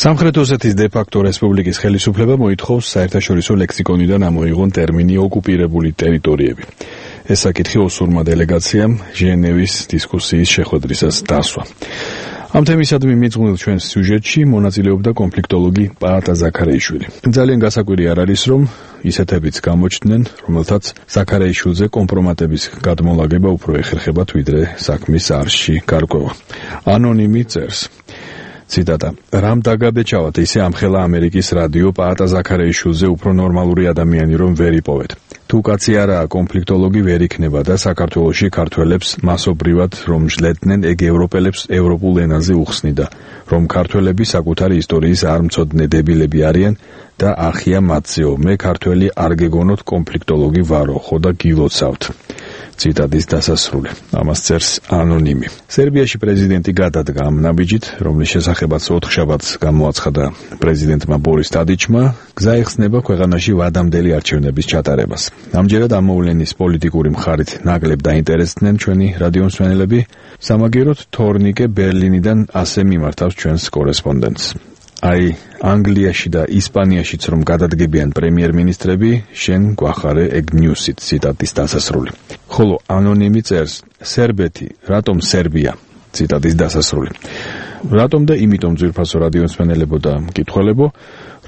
სამხრეთ ოსეთის დე-ფაქტო რესპუბლიკის ხელისუფლება მოითხოვს საერთაშორისო ლექსიკონიდან ამოიღონ ტერმინი ოკუპირებული ტერიტორიები. ეს საკითხი ოსურმა დელეგაციამ ჟენევის დისკუსიის შეხვედრისას დასვა. ამ თემისადმი მიძღვნილ ჩვენს სიუჟეტში მონაწილეობდა კონფლიქტოლოგი პაატა ზაქარეიშვილი. ძალიან გასაკვირი არ არის, რომ ისეთებიც გამოჩნდნენ, რომელთაც ზაქარეიშვილზე კომპრომატების გადმოლაგება უფრო ეხერხებათ, ვიდრე საქმის არში გარკვევა. ანონიმი წერს. ციტატა: რამ დაგაბეჭავათ ისე ამხელა ამერიკის რადიო პაატა ზაქარეიშვილზე უფრო ნორმალური ადამიანი რომ ვერ იპოვეთ. თუ კაცი არაა კონფლიქტოლოგი ვერ იქნება და საქართველოში ქართველებს მასობრივად რომ ჟლედნენ, ეგ ევროპელებს ევროპულ ენაზე უხსნიდა, რომ ქართველები საკუთარი ისტორიის არ მცოდნე დებილები არიან და ახია მათზეო, მე ქართველი არ გეგონოთ კონფლიქტოლოგი ვარო, ხო და გილოცავთ. ციტატის დასასრული. ამას წერს ანონიმი. სერბიაში პრეზიდენტი გადადგა ამ ნაბიჯით, რომლის შესახებაც 4 შაბათს გამოაცხადა პრეზიდენტმა ბორის ტადიჩმა, გზა ეხსნება ქვეყანაში ვადამდელი არჩევნების ჩატარებას. ამჯერად ამ მოვლენის პოლიტიკური მხარით ნაკლებ დაინტერესდნენ ჩვენი რადიომსმენელები. სამაგიეროდ თორნიკე ბერლინიდან ასე მიმართავს ჩვენს კორესპონდენტს. აი ანგლიაში და ისპანიაშიც რომ გადადგებიან პრემიერ-მინისტრები, შენ გვახარე ეგ ნიუსით, ციტატის დასასრული. ხოლო ანონიმი წერს, სერბეთი, რატომ სერბია? ციტატის დასასრული. რატომ და იმიტომ ძვირფასო რადიომსმენელებო და მკითხველებო,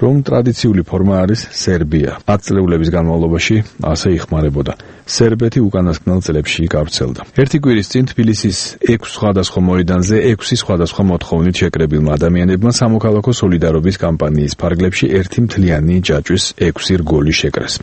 რომ ტრადიციული ფორმა არის სერბია. 10 წლების განმავლობაში ასე იხმარებოდა. სერბეთი უკანასკნელ წლებში გავრცელდა. ერთი კვირის წინ თბილისის 6 სხვადასხვა მოედანზე 6 სხვადასხვა მოთხოვნით შეკრებილმა ადამიანებმა სამოქალაქო სოლიდარობის კამპანიის ფარგლებში ერთი მთლიანი ჯაჭვის 6 რგოლი შეკრეს.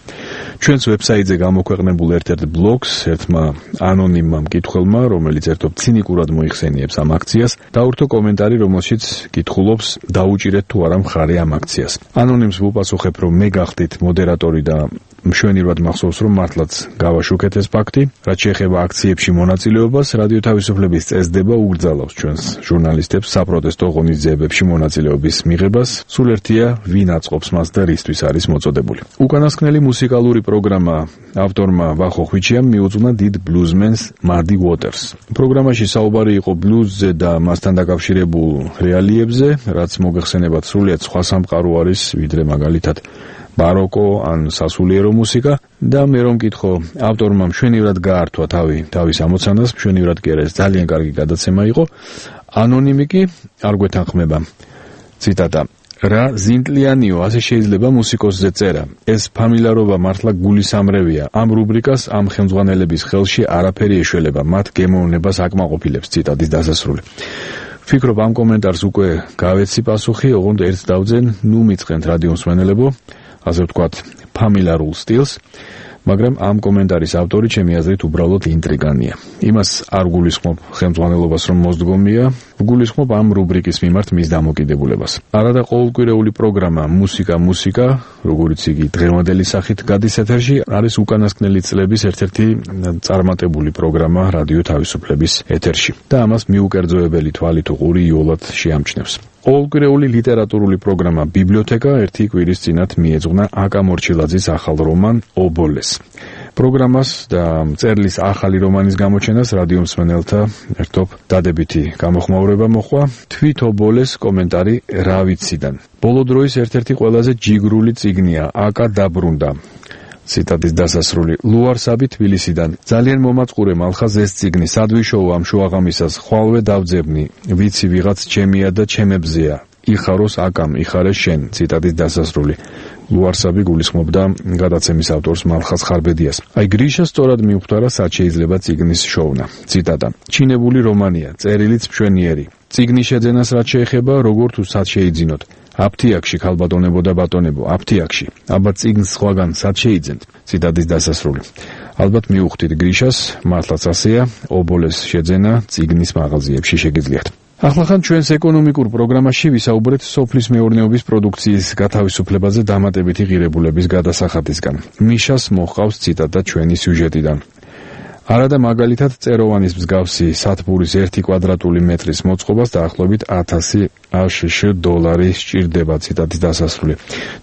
ჩვენს ვებსაიტზე გამოქვეყნებულ ერთ-ერთ ბლოგს ერთმა ანონიმმა მკითხველმა, რომელიც ერთობ ცინიკურად მოიხსენიებს ამ აქციას, დაურთო კომენტარი, რომელშიც კითხულობს, დაუჭირეთ თუ არა მხარე ამ აქციას. ანონიმს ვუპასუხებ, რომ მე გახდით მოდერატორი და მშვენივრად მახსოვს, რომ მართლაც გავაშუქეთ ეს ფაქტი. რაც შეეხება აქციებში მონაწილეობას, რადიო თავისუფლების წესდება უგრძალავს ჩვენს ჟურნალისტებს საპროტესტო ღონისძიებებში მონაწილეობის მიღებას. სულ ერთია, ვინ აწყობს მას და რისთვის არის მოწოდებული. უკანასკნელი მუსიკალური პროგრამა ავტორმა ვახო ხვიჩიამ მიუძღვნა დიდ ბლუზმენს მადი უოტერსს. პროგრამაში საუბარი იყო ბლუზზე და მასთან დაკავშირებულ რეალიებზე, რაც მოგეხსენებათ სრულიად სხვა სამყარო არის, ვიდრე მაგალითად ბაროკო ან სასულიერო მუსიკა და მე რომ მკითხო, ავტორმა მშვენივრად გაართვა თავის ამოცანას, მშვენივრად კი არა, ეს ძალიან კარგი გადაცემა იყო. ანონიმი კი არ გვეთანხმება. ციტატა: რა ზინტლიანიო, ასე შეიძლება მუსიკოსზე წერა. ეს ფამილარობა მართლა გულისამრევია. ამ რუბრიკას ამ ხელმძღვანელების ხელში არაფერი ეშველება, მათ გემოვნებას აკმაყოფილებს. ციტატის დასასრული. ვფიქრობ, ამ კომენტარს უკვე გავეცი პასუხი, ოღონდ ერთ დავძენ, ნუ მიწყენთ რადიომსმენელებო, ასე ვთქვათ, ფამილარულ სტილს, მაგრამ ამ კომენტარის ავტორი ჩემი აზრით უბრალოდ ინტრიგანია. იმას არ გულისხმობ ხელმძღვანელობას რომ მოსდგომია, გულისხმობ ამ რუბრიკის მიმართ მის დამოკიდებულებას. არადა ყოველკვირეული პროგრამა მუსიკა, როგორც იგი დღევანდელი სახით გადის ეთერში, არის უკანასკნელი წლების ერთ-ერთი წარმატებული პროგრამა რადიო თავისუფლების ეთერში და ამას მიუკერძოებელი თვალით უყური იოლად შეამჩნევს. ყოველკვირეული ლიტერატურული პროგრამა ბიბლიოთეკა ერთი კვირის წინათ მიეძღვნა აკა მორჩილაძის ახალ რომან ობოლეს. პროგრამას და მწერლის ახალი რომანის გამოჩენას რადიომსმენელთა ერთობ დადებითი გამოხმაურება მოჰყვა. თვით ობოლეს კომენტარი რა ვიციდან. ბოლო დროის ერთ-ერთი ყველაზე ჯიგრული წიგნია აკა დაბრუნდა. ციტატის დასასრული. ლუარსაბი თბილისიდან. ძალიან მომაწყურე მალხაზ ეს წიგნი, სადვიშოუ ამ შუაღამისას, ხვალვე დავძებნი, ვიცი ვიღაც ჩემია და ჩემებზეა. იხაროს აკამ, იხარე შენ. ციტატის დასასრული. ლუარსაბი გულისხმობდა გადაცემის ავტორს მალხაზ ხარბედიას. აი გრიშა სწორად მიუხვდარა, სად შეიძლება წიგნის შოვნა. ციტატა: ჩინებული რომანია, წერილიც მშვენიერი. წიგნის შეძენას რაც შეეხება, როგორ თუ სად შეიძინოთ. აფთიაქში ქალბატონებო და ბატონებო, აფთიაქში. აბა წიგნს სხვაგან სად შეიძენთ? ციტატის დასასრული. ალბათ მიუხვდით გრიშას, მართლაც ასეა, ობოლეს შეძენა წიგნის მაღაზიებში შეგიძლიათ. ახლახან ჩვენს ეკონომიკურ პროგრამაში ვისაუბრეთ სოფლის მეურნეობის პროდუქციის გათავისუფლებაზე დამატებითი ღირებულების გადასახადისგან. მიშას მოჰყავს ციტატა ჩვენი სიუჟეტიდან. არადა მაგალითად წეროვანის მსგავსი სათბურის 1 კვადრატული მეტრის მოწყობას დაახლოებით 1000 აშშ დოლარი სჭირდება. ციტატის დასასრული.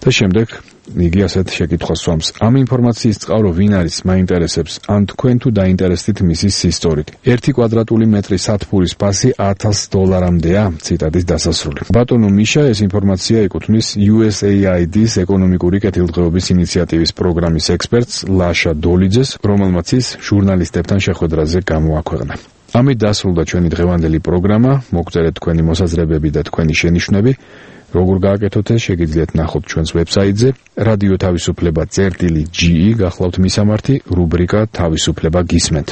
და შემდეგ იგი ასეთ შეკითხვას სვამს. ამ ინფორმაციის წყარო ვინ არის, მაინტერესებს, ან თქვენ თუ დაინტერესდით მისი სისტორით. 1 კვადრატული მეტრის სათბურის ფასი 1000 დოლარამდეა. ციტატის დასასრული. ბატონო მიშა ეს ინფორმაცია ეკუთვნის USAID-ის ეკონომიკური კეთილდღეობის ინიციატივის პროგრამის ექსპერტს ლაშა დოლიძეს, რომელმაც ის ჟურნალისტებთან შეხვედრაზე გამოაქვეყნა. ამით დასრულდა ჩვენი დღევანდელი პროგრამა. მოგწერეთ თქვენი მოსაზრებები და თქვენი შენიშვნები. როგორ გააკეთოთ ეს შეგიძლიათ ნახოთ ჩვენს ვებსაიტზე რადიო თავისუფლება წერტილი.ge გახლავთ მისამართი რუბრიკა თავისუფლება გისმენთ.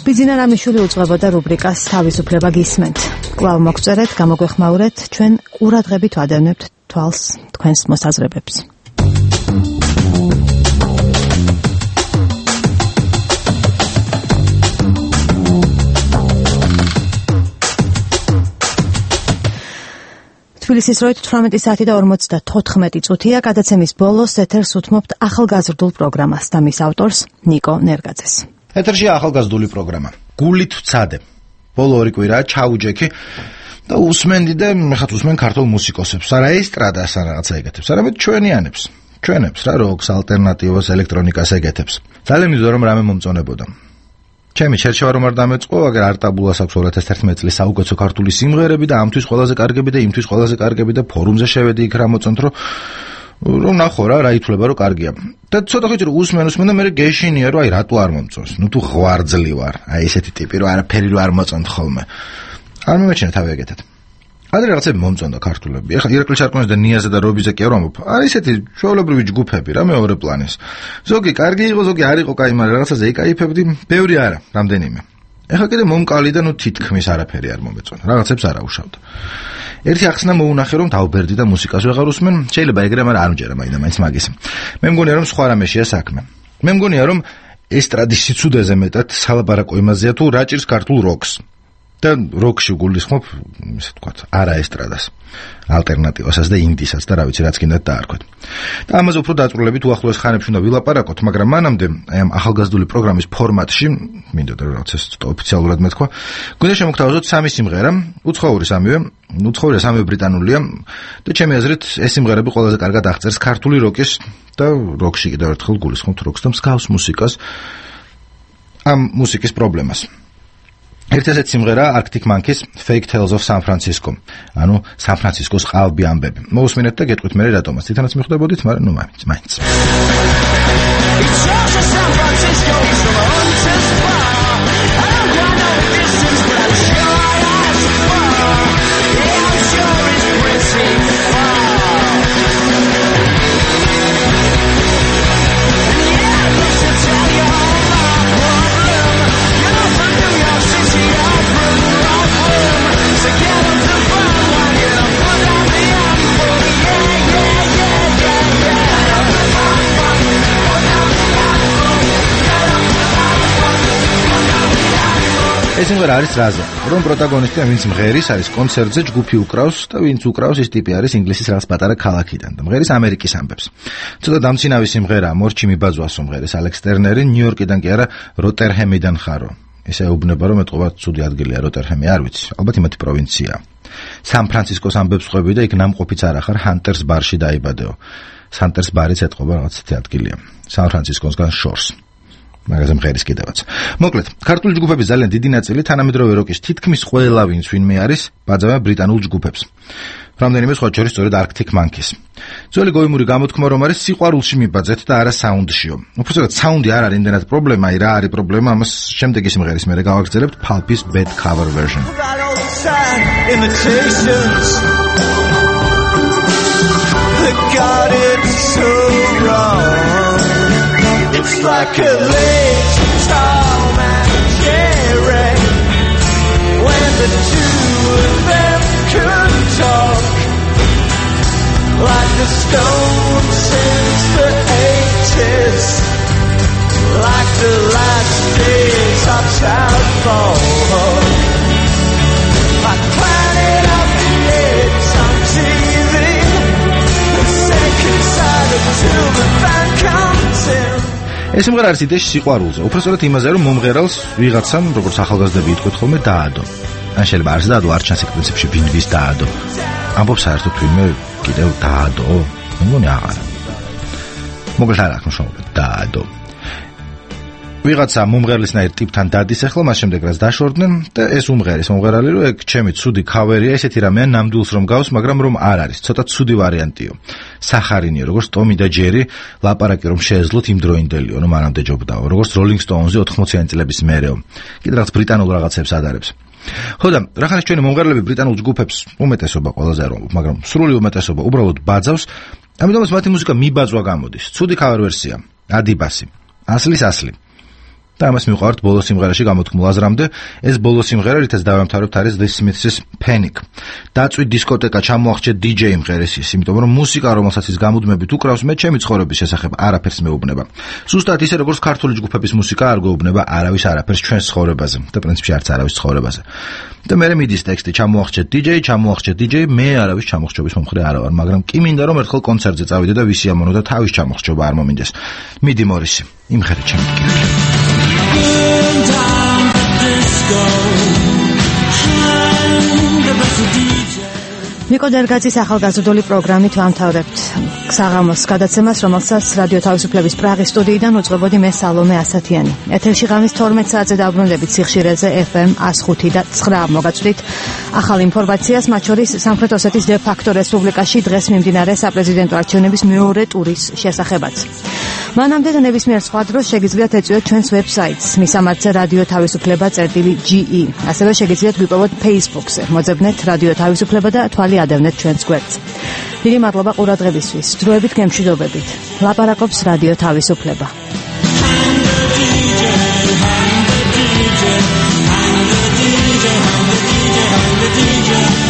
ბიძინა რამიშვილი უძღვებოდა რუბრიკას თავისუფლება გისმენთ. კვლავ მოგწერეთ, გამოგვეხმაურეთ, ჩვენ ყურადღებით ვადევნებთ თვალს თქვენს მოსაზრებებს. თბილისის დროით 18 საათი და 54 წუთია. გადაცემის ბოლოს ეთერს უთმობთ ახალგაზრდულ პროგრამას და მის ავტორს ნიკო ნერგაძეს. ეთერში ახალგაზრდული პროგრამა. გულით ვცადე. ბოლო 2 კვირაა ჩაუჯექი და უსმენდი და მეხაც უსმენ ქართულ მუსიკოსებს. არა ესტრადას ან რაღაცა ეგეთებს, არამედ ჩვენებს რა როკს, ალტერნატივას, ელექტრონიკას ეგეთებს. ძალიან მიზო რომ რამე მომწონებოდა. ჩემი შერჩევა რომ არ დამეწყო, აგერ არტაბულას აქვს 2011 წლის საუკეთესო ქართული სიმღერები და ამთვის ყველაზე კარგები და იმთვის ყველაზე კარგები და ფორუმზე შევედი იქ რა მოწონთ რომ ნახო რა ითვლება რომ კარგია. და ცოტა ხით რომ უსმენ და მე გეშინია რომ აი რატო არ მომწონს. ნუ თუ ღვარძლი ვარ, აი ესეთი ტიპი რომ არაფერი რო არ მოწონთ ხოლმე. არ მომეჩნია თავი ეგეთად. ადრე რაღაცები მომწონდა ქართულები. ეხლა ირაკლი შარკვიანის და ნიაზა და რობიზე კი არ ვამბობ. არის ესეთი ჩვეულებრივი ჯგუფები რა მეორე პლანის. ზოგი კარგი იყო, ზოგი არ იყო კაი, მაგრამ რაღაცაზე იკაიფებდი, ბევრი არა, რამდენიმე. ეხლა კიდე მომკალი და ნუ თითქმის არაფერი არ მომეწონა. რაღაცებს არ აუშავდა. ერთი ახსნა მოუნახე რომ დავბერდი და მუსიკას ვეღარ უსმენ, შეიძლება ეგრე, მაგრამ არ მჯერა მაინც მაგის. მე მგონია რომ სხვა რამეშია საქმე. მე მგონია რომ ესტრადის სიცუდეზე მეტად სალაპარაკო იმაზეა თუ რა ჭირს ქართულ როკს. და როკში გულისხმობ, ისე ვთქვათ, არა ესტრადას, ალტერნატივასაც და ინდისაც და რა ვიცი რაც კიდათ დაარქვეთ. და ამაზე უფრო დაწვრილებით უახლოეს ხანებში უნდა ვილაპარაკოთ, მაგრამ მანამდე აი ამ ახალგაზრდული პროგრამის ფორმატში, მინდოდა რომ რაღაც ეს ოფიციალურად მეთქვა, გვინდა შემოგთავაზოთ სამი სიმღერა, უცხოური სამივე ბრიტანულია და ჩემი აზრით ეს სიმღერები ყველაზე კარგად აღწერს ქართული როკის და როკში კიდევ ერთხელ გულისხმობთ როკს და მსგავს მუსიკას ამ მუსიკის პრობლემას. ერთი ასეთი სიმღერა Arctic Monkeys Fake Tales of San Francisco. ანუ სან ფრანცისკოს ყალბი ამბები. მოусმინეთ და გეტყვით მე რატომაც. თვითონაც მიხვდებოდით, მაგრამ ნუ მაინც. ეს სიმღერა არის რაზე, რომ პროტაგონისტი ვინც მღერის არის კონცერტზე, ჯგუფი უკრავს და ვინც უკრავს ის ტიპი არის ინგლისის რაღაც პატარა ქალაქიდან და მღერის ამერიკის ამბებს. ცოტა დამცინავი სიმღერაა, მორჩი მიბაძვასო მღერის ალექს ტერნერი, ნიუ-იორკიდან კი არა, როტერჰემიდან ხარო. ესე ეუბნება რომ ეთყობა ცუდი ადგილია როტერჰემი, არ ვიცი, ალბათ იმათი პროვინციაა. სან ფრანცისკოს ამბებს ყვები და იქ ნამყოფიც არ ახარ ჰანტერს ბარში დაიბადეო. ჰანტერს ბარიც ეთყობა რაღაც ადგილია. სან ფრანცისკოსგან შორს. მაგაზე მღერის კიდევაც. მოკლედ, ქართული ჯგუფების ძალიან დიდი ნაწილი თანამედროვე როკის თითქმის ყველა ვინც ვინმე არის, ბაძავენ ბრიტანულ ჯგუფებს. რამდენიმე სხვა შორის სწორედ Arctic Monkeys. ძველი გოიმური გამოთქმა რომ არის სიყვარულში მიბაძეთ და არა საუნდშიო. უბრალოდ საუნდი არ არის იმდენად პრობლემა, აი რა არის პრობლემა, ამას შემდეგი სიმღერის მერე გავაგრძელებთ Pulp's Bad Cover Version. It's like a late Tom and Jerry when the two of them could talk like the Stones since the 80s, like the last days of Southpaw, like Planet of the Apes on TV, the second side until the band comes in. ეს სიმღერა არის იდეაში სიყვარულზე, უბრალოდ იმაზე რომ მომღერალს ვიღაცამ, როგორც ახალგაზრდები იტყვით ხოლმე, დაადო. ან შეიძლება არც დაადო, არ ჩანს პრინციპში ვინვის დაადო. ამბობს საერთოდ ვინმე კიდევ დაადო? მე მგონი აღარა. მოკლედ არ აქვს მნიშვნელობა, დაადო. ვიღაცა მომღერლისნაირ ტიპთან დადის ახლა, მას შემდეგ რაც დაშორდნენ და ეს უმღერის მომღერალი რომ ეგ ჩემი ცუდი ქავერია, ესეთი რამეა ნამდვილს რომ გავს, მაგრამ რომ არ არის, ცოტა ცუდი ვარიანტიო. სახარინიო, როგორც ტომი და ჯერი, ლაპარაკი რომ შეეძლოთ იმდროინდელიო, რომ მანამდე ჯობდაო, როგორც Rolling Stones-ი 80-იანი წლების მერეო. კიდე რაღაც ბრიტანულ რაღაცებს ადარებს. ხო და რახანს ჩვენი მომღერლები ბრიტანულ ჯგუფებს უმეტესობა ყველაზე არ ვამბობ, მაგრამ სრული უმეტესობა უბრალოდ ბაძავს, ამიტომაც მათი მუსიკა მიბაძვა გამოდის. ცუდი ქავერ ვერსია, ადიბასი, ასლის ასლი. და ამას მივყავართ ბოლო სიმღერაში გამოთქმულ აზრამდე, ეს ბოლო სიმღერა, რითაც დავამთავრებთ, არის The Smiths' Panic. დაწვი დისკოტეკა ჩამოახჭე DJ მღერის ის, იმიტომ რომ მუსიკა, რომელსაც ის გამუდმებით უკრავს, მე ჩემი ცხოვრების შესახებ არაფერს მეუბნება. ზუსტად ისე, როგორც ქართული ჯგუფების მუსიკა არ გვეუბნება არავის არაფერს ჩვენს ცხოვრებაზე და პრინციპში არც არავის ცხოვრებაზე. და მე მიდის ტექსტი ჩამოახჭე DJ, მე არავის ჩამოხჭობის მომხრე არა ვარ, მაგრამ კი მინდა რომ ერთხელ კონცერტზე წავიდე და ვისიამოვნო და თავის ჩამოხჭობა არ მომინდეს. მიდი მორისი, იმღერე ჩემი კირხი. Burn down the disco, hang the best DJ. ნიკო დერგაძის ახალგაზრდული პროგრამით ვამთავრებთ საღამოს გადაცემას, რომელსაც რადიო თავისუფლების პრაღის სტუდიიდან უძღვებოდი მე სალომე ასათიანი. ეთერში ღამის 12 საათზე დაბრუნდებით სიხშირეზე FM 105 და 9 მოგაწვდით ახალ ინფორმაციას, მათ შორის სამხრეთ ოსეთის დე ფაქტო რესპუბლიკაში დღეს მიმდინარე საპრეზიდენტო არჩევნების მეორე ტურის შესახებაც. მანამდე და ნებისმიერ სხვა დროს შეგიძლიათ ეწვიოთ ჩვენს ვებსაიტს მისამართზე რადიო თავისუფლება.ge. ასევე შეგიძლიათ გვიპოვოთ Facebook-ზე. მოძებნეთ რადიო თავისუფლება და თვალი ადევნეთ ჩვენს გვერდს. დიდი მადლობა ყურადღებისთვის. დროებით გემშვიდობებით. ლაპარაკობს რადიო თავისუფლება. DJ